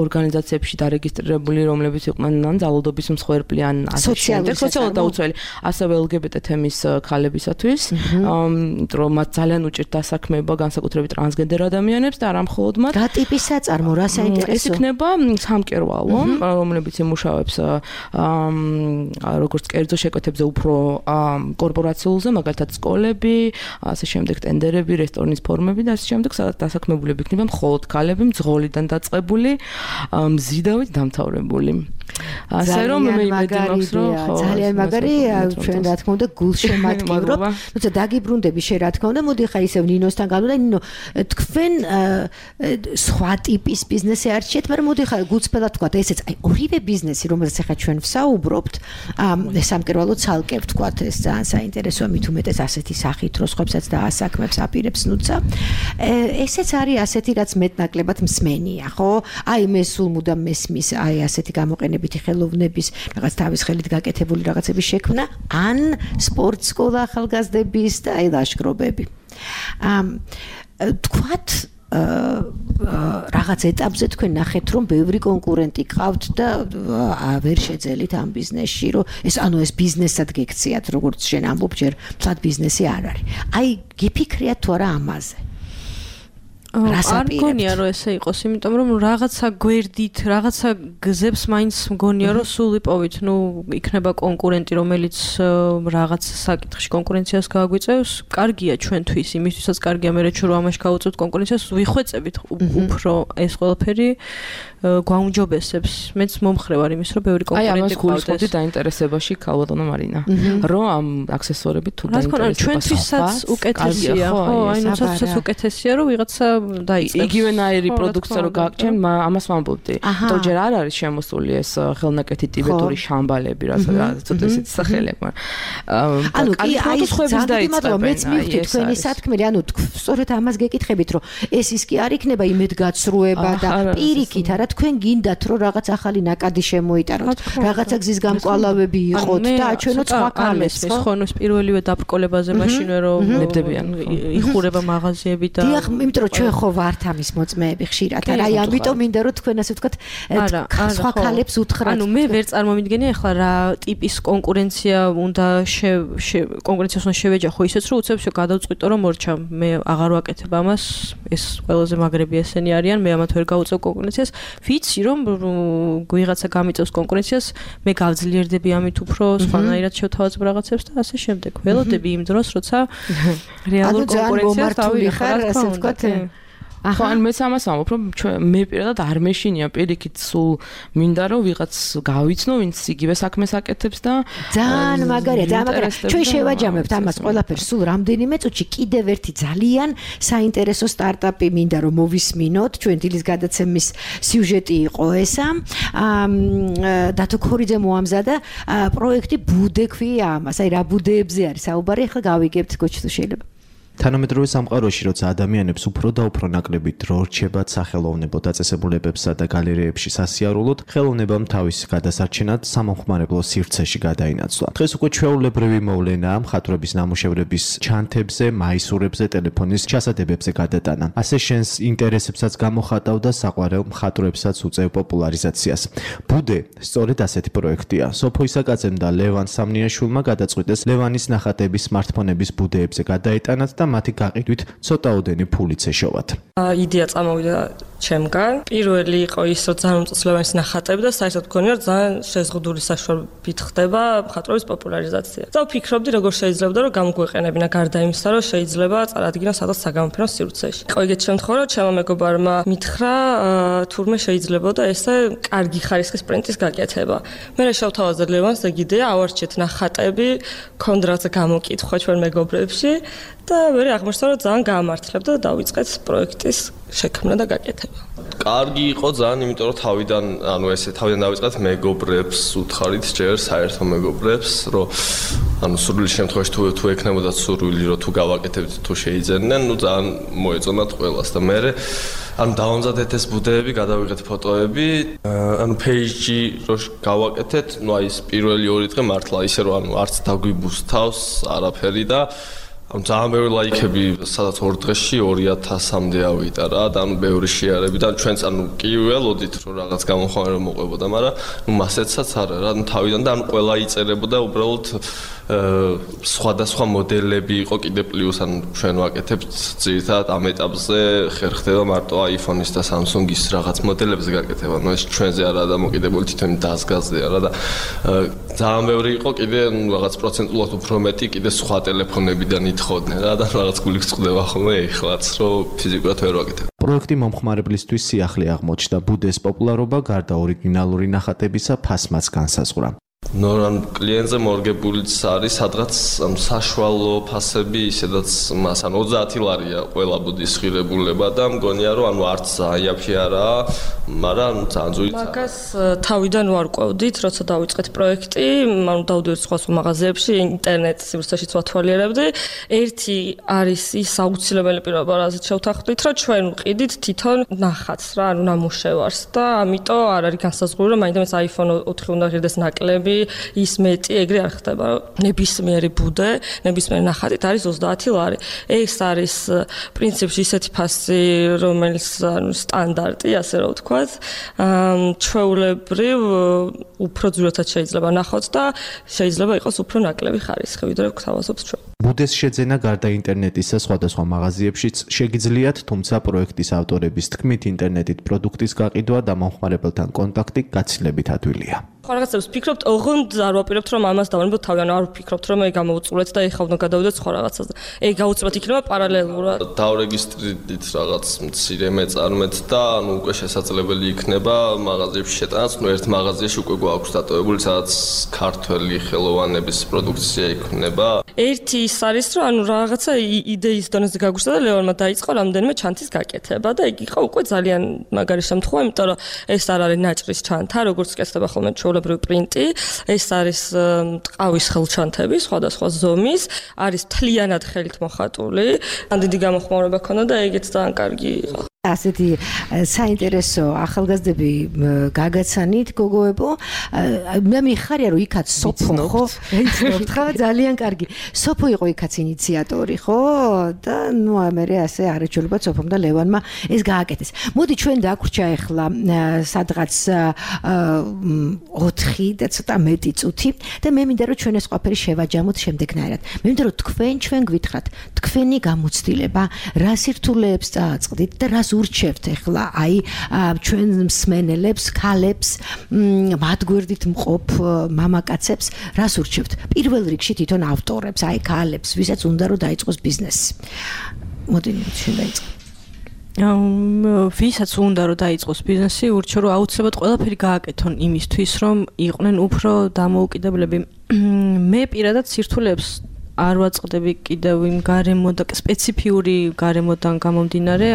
ორგანიზაციებში დარეგისტრირებული, რომლებიც იყვნენ ან ძალადობის მსხვერპლი, ან სოციალურად დაუცველი, ასევე LGBT თემის ქალებისათვის, რომ მათ ძალიან უჭირთ დასაქმება განსაკუთრებით ტრანსგენდერ ადამიანებს და არა მხოლოდ მათ. რა ტიპის საწარმო, რა საინტერესო? ეს იქნება სამკერვალო, რომლებიც იმუშავებს როგორც კერძო შეკვეთებზე უფრო კორპორაციულზე, მაგალითად სკოლები, ასე შემდეგ ტენდერები, რესტორნის ფორმები და ასე შემდეგ, სადაც დასაქმებულები იქნება მხოლოდ ქალები, მძღოლიდან დაწყებული, მზიდავით დამთავრებული. ასე რომ მე იმედი მაქვს, რომ ძალიან მაგარი, ჩვენ რა თქმა უნდა გულშემატკივრობ. თუმცა დაგიბრუნდები შე რა თქმა უნდა, მოდი ხა ისევ ნინოსთან გავდივარ, ნინო, თქვენ სხვა ტიპის ბიზნესი არჩიეთ, მაგრამ მოდი ხა გულწრფელად ვთქვათ, ესეც აი ორივე ბიზნესი, რომელზეც ახლა ჩვენ ვსაუბრობთ, სამკერვალო ცალკე ვთქვათ, ეს ძალიან საინტერესოა, მით უმეტეს ასეთი სახით, რომ სხვებსაც დაასაქმებს, აპირებს ნუცა. ესეც არის ასეთი, რაც მეტნაკლებად მსმენია, ხო? აი მე სულ მუდამ მესმის აი ასეთი გამოყენებითი ხელოვნების, რაღაც თავის ხელით გაკეთებული რაღაცების შექმნა, ან სპორტ სკოლა ახალგაზრდების და აი ლაშქრობები. თქვათ რაღაც ეტაპზე თქვენ ნახეთ რომ ბევრი კონკურენტი ყავთ და ვერ შეძელით ამ ბიზნესში რომ ეს ბიზნესად გექციათ როგორც შენ ამბობ ჯერ მთლად ბიზნესი არ არის. აი გიფიქრიათ თუ არა ამაზე? არ მგონია რომ ესე იყოს, იმიტომ რომ რაღაცა გვერდით, რაღაცა გზებს მაინც მგონია რომ სულ იპოვით, იქნება კონკურენტი, რომელიც რაღაც საკითხში კონკურენციას გააგვიწევს, კარგია ჩვენთვის, იმისთვისაც კარგია მე რომ ამაში გავუწევთ კონკურენციას, ვიხვეწებით უფრო ეს ყველაფერი გვაუმჯობესებს. მეც მომხრე ვარ იმის, რომ ბევრი კონკურენტი გვყავდეს. აი, ამას დაინტერესებაში ქალბატონო მარინა. რომ ამ აქსესუარებით თუ დაინტერესება ჩვენთვისაც უკეთესია, ხო? აი, ნუცაცაც უკეთესია, რომ ვიღაცა დაიწყებს. იგივენაირი პროდუქცია რო გააგჩენ, ამას ვამბობდი. თუ ჯერ არ არის შემოსული ეს ხელნაკეთი ტიბეტური შამბალები, რა ცოტა ისეთი სახელები, მაგრამ ანუ კი აი ზოგადად მეც მივხვდი თქვენი სათქმელი, ანუ სწორედ ამას გეკითხებით, რომ ეს ის კი არ იქნება იმედგაცრუება და პირიქით, არა თქვენ გინდათ რომ რაღაც ახალი ნაკადი შემოიტანოთ, რაღაცა გზის გამკვალავები იყოთ და აჩვენოთ სხვა კალებს, ხო? ნუ პირველივე დაბრკოლებაზე მაშინვე რომ ნებდებიან იხურება მაღაზიები და დიახ, იმიტომ რომ ჩვენ ხო ვართ ამის მოწმეები ხშირად. აი ამიტომ მინდა რომ თქვენ ასე ვთქვათ სხვა კალებს უთხრათ. ანუ მე ვერ წარმომიდგენია ახლა რა ტიპის კონკურენცია უნდა კონკურენციას უნდა შევეჯახო ისეც რომ უცებ გადავწყვიტო რომ მორჩა მე აღარ ვაკეთებ ამას ეს ყველაზე მაგრები ესენი არიან მე ამათ ვერ გავუწევ კონკურენციას ვიცი რომ ვიღაცა გამიწევს კონკურენციას მე გავძლიერდები ამით უფრო სხვანაირად შევთავაზებ რაღაცებს და ასე შემდეგ ველოდები იმ დროს როცა რეალურ კონკურენციას დავიხარ ასე ვთქვათ ხო, ან მეც ამას ვამბობ, რომ მე პირადად არ მეშინია პირიქით სულ მინდა რომ ვიღაც გავიცნო, ვინც იგივე საქმეს აკეთებს და ძალიან მაგარია, ძალიან მაგარია. ჩვენ შევაჯამებთ ამას ყველაფერს სულ რამდენიმე წუთში კიდევ ერთი ძალიან საინტერესო სტარტაპი მინდა რომ მოვისმინოთ. ჩვენ დილის გადაცემის სიუჟეტი იყო ესა. დათო ქორიძე მოამზადა პროექტი ბუდე ქვია ამას. აი რა ბუდეებზე არის საუბარი, ახლა გავიგებთ გოჩ თუ შეიძლება. თანამედროვე სამყაროში, როცა ადამიანებს უფრო და უფრო ნაკლები დრო რჩებათ სახელოვნებო დაწესებულებებსა და გალერეებში სასიარულოდ, ხელოვნებამ თავის გადასარჩენად სამომხმარებლო სივრცეში გადაინაცვლა. დღეს უკვე ჩვეულებრივი მოვლენაა მხატვრების ნამუშევრების ჩანთებზე, მაისურებზე, ტელეფონის ჩასადებებზე გადატანა. ასე შენს ინტერესებსაც გამოხატავ და საყვარელ მხატვრებსაც უწევ პოპულარიზაციას. ბუდე სწორედ ასეთი პროექტია. სოფო ისაკაძემ და ლევან სამნიაშვილმა გადაწყვიტეს ლევანის ნახატების სმარტფონების ბუდეებზე გადაეტანათ და მათი გაყიდვით ცოტაოდენი ფულიც ეშოვათ. იდეა წამოვიდა ჩემგან. პირველი იყო ის, რომ ძალიან უმწესლოვანი ნახატები და საერთოდ მგონია, რომ ძალიან შეზღუდული საშუალებით ხდება მხატვრობის პოპულარიზაცია. და ვფიქრობდი, როგორ შეიძლება რომ გამოგვეყენებინა გარდა იმისა, რომ შეიძლება წარადგინოს სადაც საგამოფენო სივრცეში. იყო ეგეთი შემთხვევა, რომ ჩემო მეგობარმა მითხრა, თურმე შეიძლებოდა ესე კარგი ხარისხის პრინტის გაკეთება. მე შევთავაზე ლევანს ეგ იდეა, ავარჩიეთ ნახატები, ქონდა რაღაცა გამოკითხვა ჩვენ მეგობრებში და მე აღმოჩნდა, რომ ძალიან გაამართლებდა და დავიწყეთ პროექტის შექმნა და გაკეთება. კარგი იყო ძალიან, იმიტომ რომ თავიდან დავიწყეთ მეგობრებს, უთხარით ჯერ საერთო მეგობრებს, რომ სურვილი შემთხვევაში თუ ექნებოდა სურვილი, რომ თუ გავაკეთებთ, თუ შეიძენდნენ, ძალიან მოეწონათ ყველას და მე დავამზადეთ ეს ბუდეები, გადავიღეთ ფოტოები, page-ში რო გავაკეთეთ, ის პირველი 2 დღე მართლა ისე რომ არც დაგვიბუსთავს არაფერი და ძალიან ბევრი ლაიქები, სადაც 2 დღეში 2000-მდე ავიდა რა და ბევრი შეარები და ჩვენც კი ველოდით რომ რაღაც გამოხმაურება მოყვებოდა, მაგრამ მასეცაც არა რა, თავიდან და ყველა იწერებოდა უბრალოდ სხვადასხვა მოდელები იყო კიდე პლუს ჩვენ ვაკეთებთ ძირითადად ამ ეტაპზე ხერხდება მარტო iPhone-ის და Samsung-ის რაღაც მოდელებზე გაკეთება, ეს ჩვენზე არაა დამოკიდებული თვითონ დაზგაზია რა და ძალიან ბევრი იყო კიდე რაღაც პროცენტულად უფრო მეტი კიდე სხვა ტელეფონებიდან ითხოვდნენ რა და რაღაც გული გწყდება ხოლმე ეხლაც რომ ფიზიკურად ვერ ვაკეთებ. პროექტი მომხმარებლისთვის სიახლე აღმოჩნდა. ბუდეს პოპულარობა გარდა ორიგინალური ნახატებისა ფასმაც განსაზღვრა. ნორან კლიენტზე მორგებულიც არის სადღაც საშუალო ფასები ისედაც მას 30 ლარია ყველა ბუდის ღირებულება და მგონია რომ არც აიაფი არაა, მაგრამ ძალიან ძვირით. მაგას თავიდან ვარკვევდით, როცა დავიწყეთ პროექტი, დავდივართ სხვა მაღაზიებში, ინტერნეტ სივრცეშიც ვათვალიერებდი. ერთი არის ის აუცილებელი პირობა, რაზეც შევთანხმდით, რომ ჩვენ ვყიდით თვითონ ნახატს რა, ნამუშევარს და ამიტომ არ არის განსაზღვრული, რომ მაინც iPhone 4 უნდა ღირდეს ნაკლები ის მეტი ეგრე არ ხდება. ნებისმიერი ბუდე, ნებისმიერი ნახატით არის 30 ლარი. ეს არის პრინციპში ისეთი ფასი, რომელიც სტანდარტი, ასე რომ ვთქვათ, ჩვეულებრივ უფრო ძვირადაც შეიძლება ნახოთ და შეიძლება იყოს უფრო ნაკლები ხარისხი, ვიდრე გვთავაზობს ჩვენ. ბუდეს შეძენა გარდა ინტერნეტისა სხვადასხვა მაღაზიებშიც შეგიძლიათ, თუმცა პროექტის ავტორების თქმით, ინტერნეტით პროდუქტის გაყიდვა და მომხმარებელთან კონტაქტი გაცილებით ადვილია. სხვა რაღაცებს ვფიქრობთ, ოღონდ არ ვაპირებთ, რომ ამას დავანებოთ თავი, ანუ არ ვფიქრობთ, რომ გავმოვწურეთ და ეხლა უნდა გადავიდეთ სხვა რაღაცაზე. აუცილებლად იქნება პარალელურად. დავრეგისტრირდით რაღაც მცირე მეწარმეთ და ანუ უკვე შესაძლებელი იქნება მაღაზიებში შეტანაც, ერთ მაღაზიაში უკვე გვაქვს დატოვებული, სადაც ქართველი ხელოვანების პროდუქცია იქნება. ერთი ის არის, რომ ანუ რაღაცა იდეის დონეზე გაგვიშვა და ლეონმა დაიწყო რამდენიმე ჩანთის გაკეთება და იგი იყო უკვე ძალიან მაგარი შემთხვევა, იმიტომ რომ ეს არ არის ნაჭრის ჩანთა, როგორც კეთდება ხოლმე ჩვეულებრივი პრინტი, ეს არის ტყავის ხელჩანთები სხვადასხვა ზომის, არის მთლიანად ხელით მოხატული. ან დიდი გამოხმაურება ქონდა და ეგეც ძალიან კარგი იყო. ასეთი საინტერესო ახალგაზრდები გაგაცანით გოგოებო. მე მიხარია რომ იქაც სოფო ხო? იცნობთ ხო? ძალიან კარგი. სოფო იყო იქაც ინიციატორი ხო? და ნუ მე ასე არაჩვეულებად სოფომ და ლევანმა ეს გააკეთეს. მოდი ჩვენ დაგვრჩა ახლა სადღაც 4 და ცოტა მეტი წუთი და მე მინდა რომ ჩვენ ეს ყველაფერი შევაჯამოთ შემდეგნაირად. მე მინდა რომ ჩვენ გვითხრათ თქვენი გამოცდილება რა სირთულეებს წააწყდით და რას ურჩევთ ახლა აი ჩვენ მსმენელებს, ქალებს, მათ გვერდით მყოფ მამაკაცებს, რას ურჩევთ? პირველ რიგში თვითონ ავტორებს, აი ქალებს, ვისაც უნდა რომ დაიწყოს ბიზნესი. მოდი ჩვენ დაიწყოთ. ვისაც უნდა რომ დაიწყოს ბიზნესი, ურჩევ რომ აუცილებლად ყველაფერი გააკეთონ იმისთვის, რომ იყვნენ უფრო დამოუკიდებლები. მე პირადად სირთულეებს არ ვაწყდები კიდევ იმ გარემო და სპეციფიური გარემოდან გამომდინარე,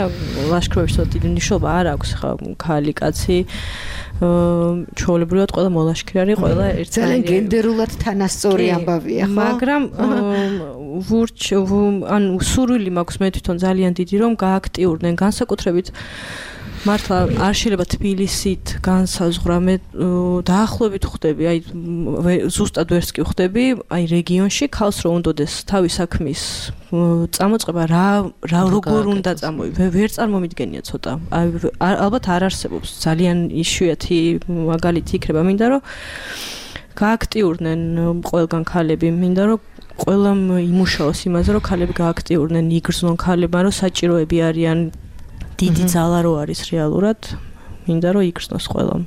ლაშქრობებში დიდი მნიშვნელობა არ აქვს ხა ქალი კაცი. ჩვეულებრივად ყველა მოლაშქრი არის, ყველა ერთად. ძალიან გენდერულად თანასწორი ამბავია, ხო? მაგრამ ანუ სურვილი მაქვს მე თვითონ ძალიან დიდი რომ გააქტიურდნენ განსაკუთრებით მართლა არ შეიძლება თბილისით განსაზღვრა მე დაახლოებით ხვდები აი ზუსტად ვერც კი ხვდები აი რეგიონში ქალს რო უნდოდეს თავის საქმის წამოწყება რა როგორ უნდა წამოვიდა ვერ წარმომიდგენია ცოტა აი ალბათ არ არსებობს ძალიან იშვიათი მაგალითი იქნება მინდა რომ გააქტიურდნენ ყველგან ქალები მინდა რომ ყველამ იმუშაოს იმაზე რომ ქალები გააქტიურდნენ იგრძნონ ქალებმა რომ საჭიროები არიან დიდი ძალა რო არის რეალურად მინდა რომ იგრძნოს ყველამ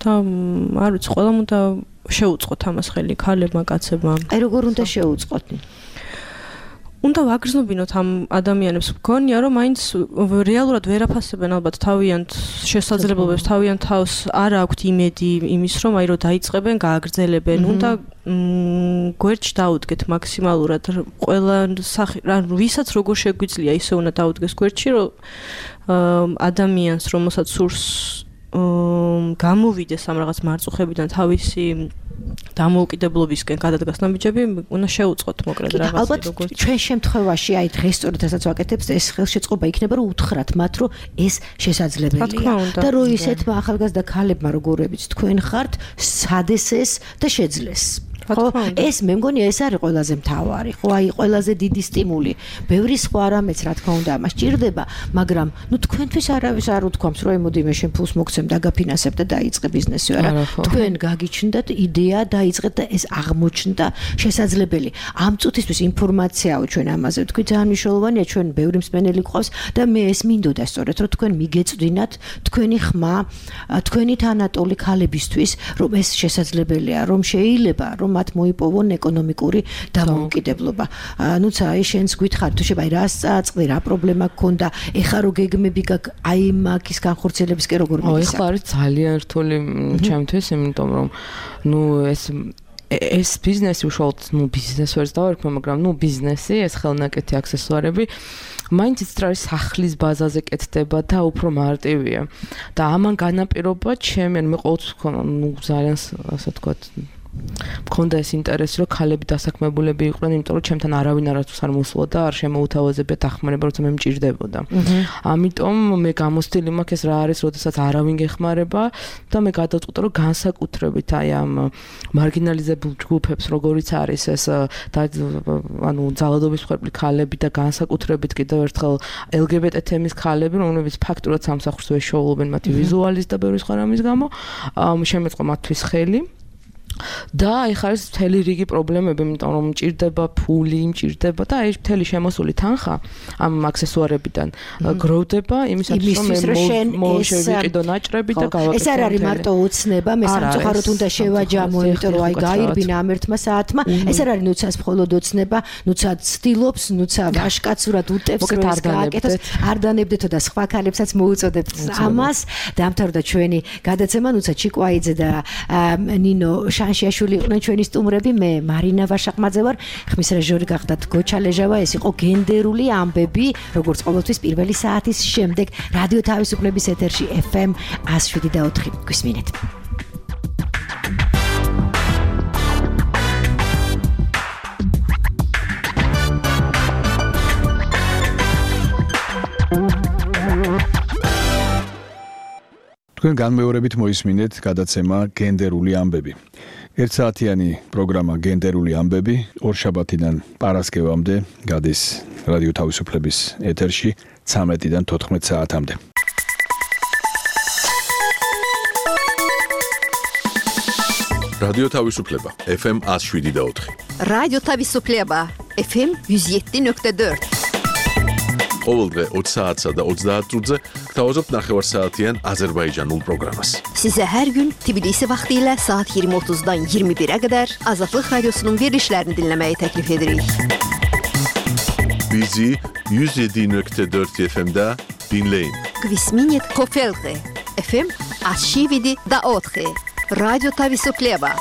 და არ ვიცი ყველამ უნდა შეუწყოთ ამას ხელი ქალებმა კაცებმა აი როგორ უნდა შეუწყოთ უნდა ვაგრძნობინოთ ამ ადამიანებს მგონია რომ მაინც რეალურად ვერ აფასებენ ალბათ თავიანთ შესაძლებლობებს თავიანთ თავს არ აქვთ იმედი იმის რომ აი რომ დაიწყებენ გააგრძელებენ უნდა გვერდში დაუდგეთ მაქსიმალურად ყველა ანუ ვისაც როგორ შეგვიძლია ისე უნდა დაუდგეს გვერდში რომ ადამიანს რომელსაც სურს გამოვიდეს ამ რაღაც მარწუხებიდან თავისი დამოუკიდებლობისკენ გადადგას ნაბიჯები უნდა შეუწყოთ მოკლედ რაღაცა როგორც ჩვენ შემთხვევაში აი დღეს სწორედ ასაც ვაკეთებთ ეს ხელშეწყობა იქნება რომ უთხრათ მათ რომ ეს შესაძლებელია და რომ ისეთმა ახალგაზრდა ქალებმა როგორებიც თქვენ ხართ სადესეს და შეძლეს ხო ეს მე მგონია ეს არის ყველაზე მთავარი ხო აი ყველაზე დიდი სტიმული ბევრი სხვა რამეც რა თქმა უნდა ამას ჭირდება მაგრამ ნუ თქვენთვის არავის არ უთქვამს რომ მოდი მე შენ ფულს მოგცემ და გაფინანსებ და დაიწყე ბიზნესი არა თქვენ გაგიჩნდათ იდეა დაიწყეთ და ეს აღმოჩნდა შესაძლებელი ამ წუთისთვის ინფორმაციაო ჩვენ ამაზე თქვი ძალიან მნიშვნელოვანია ჩვენ ბევრი მსმენელი გვყავს და მე ეს მინდოდა სწორედ რომ თქვენ მიგეწვდინათ თქვენი ხმა თქვენი თანატოლი ქალებისთვის რომ ეს შესაძლებელია რომ შეიძლება რომ მათ მოიპოვონ ეკონომიკური დამოუკიდებლობა. ნუც აი შენს გითხარ თუ შეიძლება აი რას წააწყდი, რა პრობლემა გქონდა, ეხა რო გეგმები გაქვს აი მაგის განხორციელებისკენ როგორ მიგისა? ეხლა არის ძალიან რთული ჩემთვის, იმიტომ რომ ნუ ეს ბიზნესი უშუალოდ ნუ ბიზნეს ვერც დავარქმე, მაგრამ ნუ ბიზნესი, ეს ხელნაკეთი აქსესუარები მაინც ის სახლის ბაზაზე კეთდება და უფრო მარტივია. და ამან განაპირობა ჩემი მე ყოველთვის ვქონა ნუ ძალიან ასე ვთქვათ მქონდა ეს ინტერესი, რომ ქალები დასაქმებულები იყვნენ, იმიტომ რომ ჩემთან არავინ არასდროს არ მოსულოდა, არ შემოუთავაზებია დახმარება, როცა მე მჭირდებოდა. ამიტომ მე გამოცდილი მაქვს ეს რა არის, როდესაც არავინ გეხმარება და მე გადავწყვიტე, რომ განსაკუთრებით აი ამ მარგინალიზებულ ჯგუფებს, როგორიც არის ეს ანუ ძალადობის მსხვერპლი ქალები და განსაკუთრებით კიდევ ერთხელ LGBT თემის ქალები, რომლებიც ფაქტურად სამსახურს ვეშოულობენ მათი ვიზუალის და ბევრი სხვა რამის გამო, შემეწყო მათთვის ხელი. და ეხლა ეს მთელი რიგი პრობლემები, იმიტომ რომ მჭირდება ფული, მჭირდება და აი მთელი შემოსული თანხა ამ აქსესუარებიდან გროვდება იმისათვის, რომ მე მოვშევიყიდო ნაჭრები და გავაკეთო. ეს არ არის მარტო უცნება, მე სამწუხაროდ უნდა შევაჯამო, იმიტომ რომ აი გაირბინა ამ ერთმა საათმა. ეს არ არის ნუცას მხოლოდ ოცნება, ნუცა ცდილობს, ნუცა ვაშკაცურად უტევს, რომ ეს გააკეთოს. არ დანებდეთო და სხვა ქალებსაც მოუწოდებთ ამას. დამთავრდა ჩვენი გადაცემა, ნუცა ჩიკვაიძე და ნინო შანშიაშვილი იყვნენ ჩვენი სტუმრები, მე მარინა ვაშაყმაძე ვარ, ხმის რეჟისორი გახდათ გოჩა ლეჟავა, ეს იყო გენდერული ამბები, როგორც ყოველთვის პირველი საათის შემდეგ რადიო თავისუფლების ეთერში FM 107.4 გვისმინეთ. თქვენ განმეორებით მოისმინეთ გადაცემა გენდერული ამბები. ერთსაათიანი პროგრამა გენდერული ამბები ორშაბათიდან პარასკევამდე გადის რადიო თავისუფლების ეთერში 13-დან 14 საათამდე. რადიო თავისუფლება FM 107.4. რადიო თავისუფლება FM 107.4. ყოველდღე 20 საათსა და 30 წუთზე გთავაზობთ ნახევარსაათიან აზერბაიჯანულ პროგრამას. Size her gün Tbilisi vaxtilə saat 20:30-dan 21-ə qədər Azadlıq Radiosunun verilişlərini dinləməyi təklif edirik. Bizi 107.4 FM-də dinləyin. Gvisminit Kofelqi FM 107.4. Radyo Tavisufleba.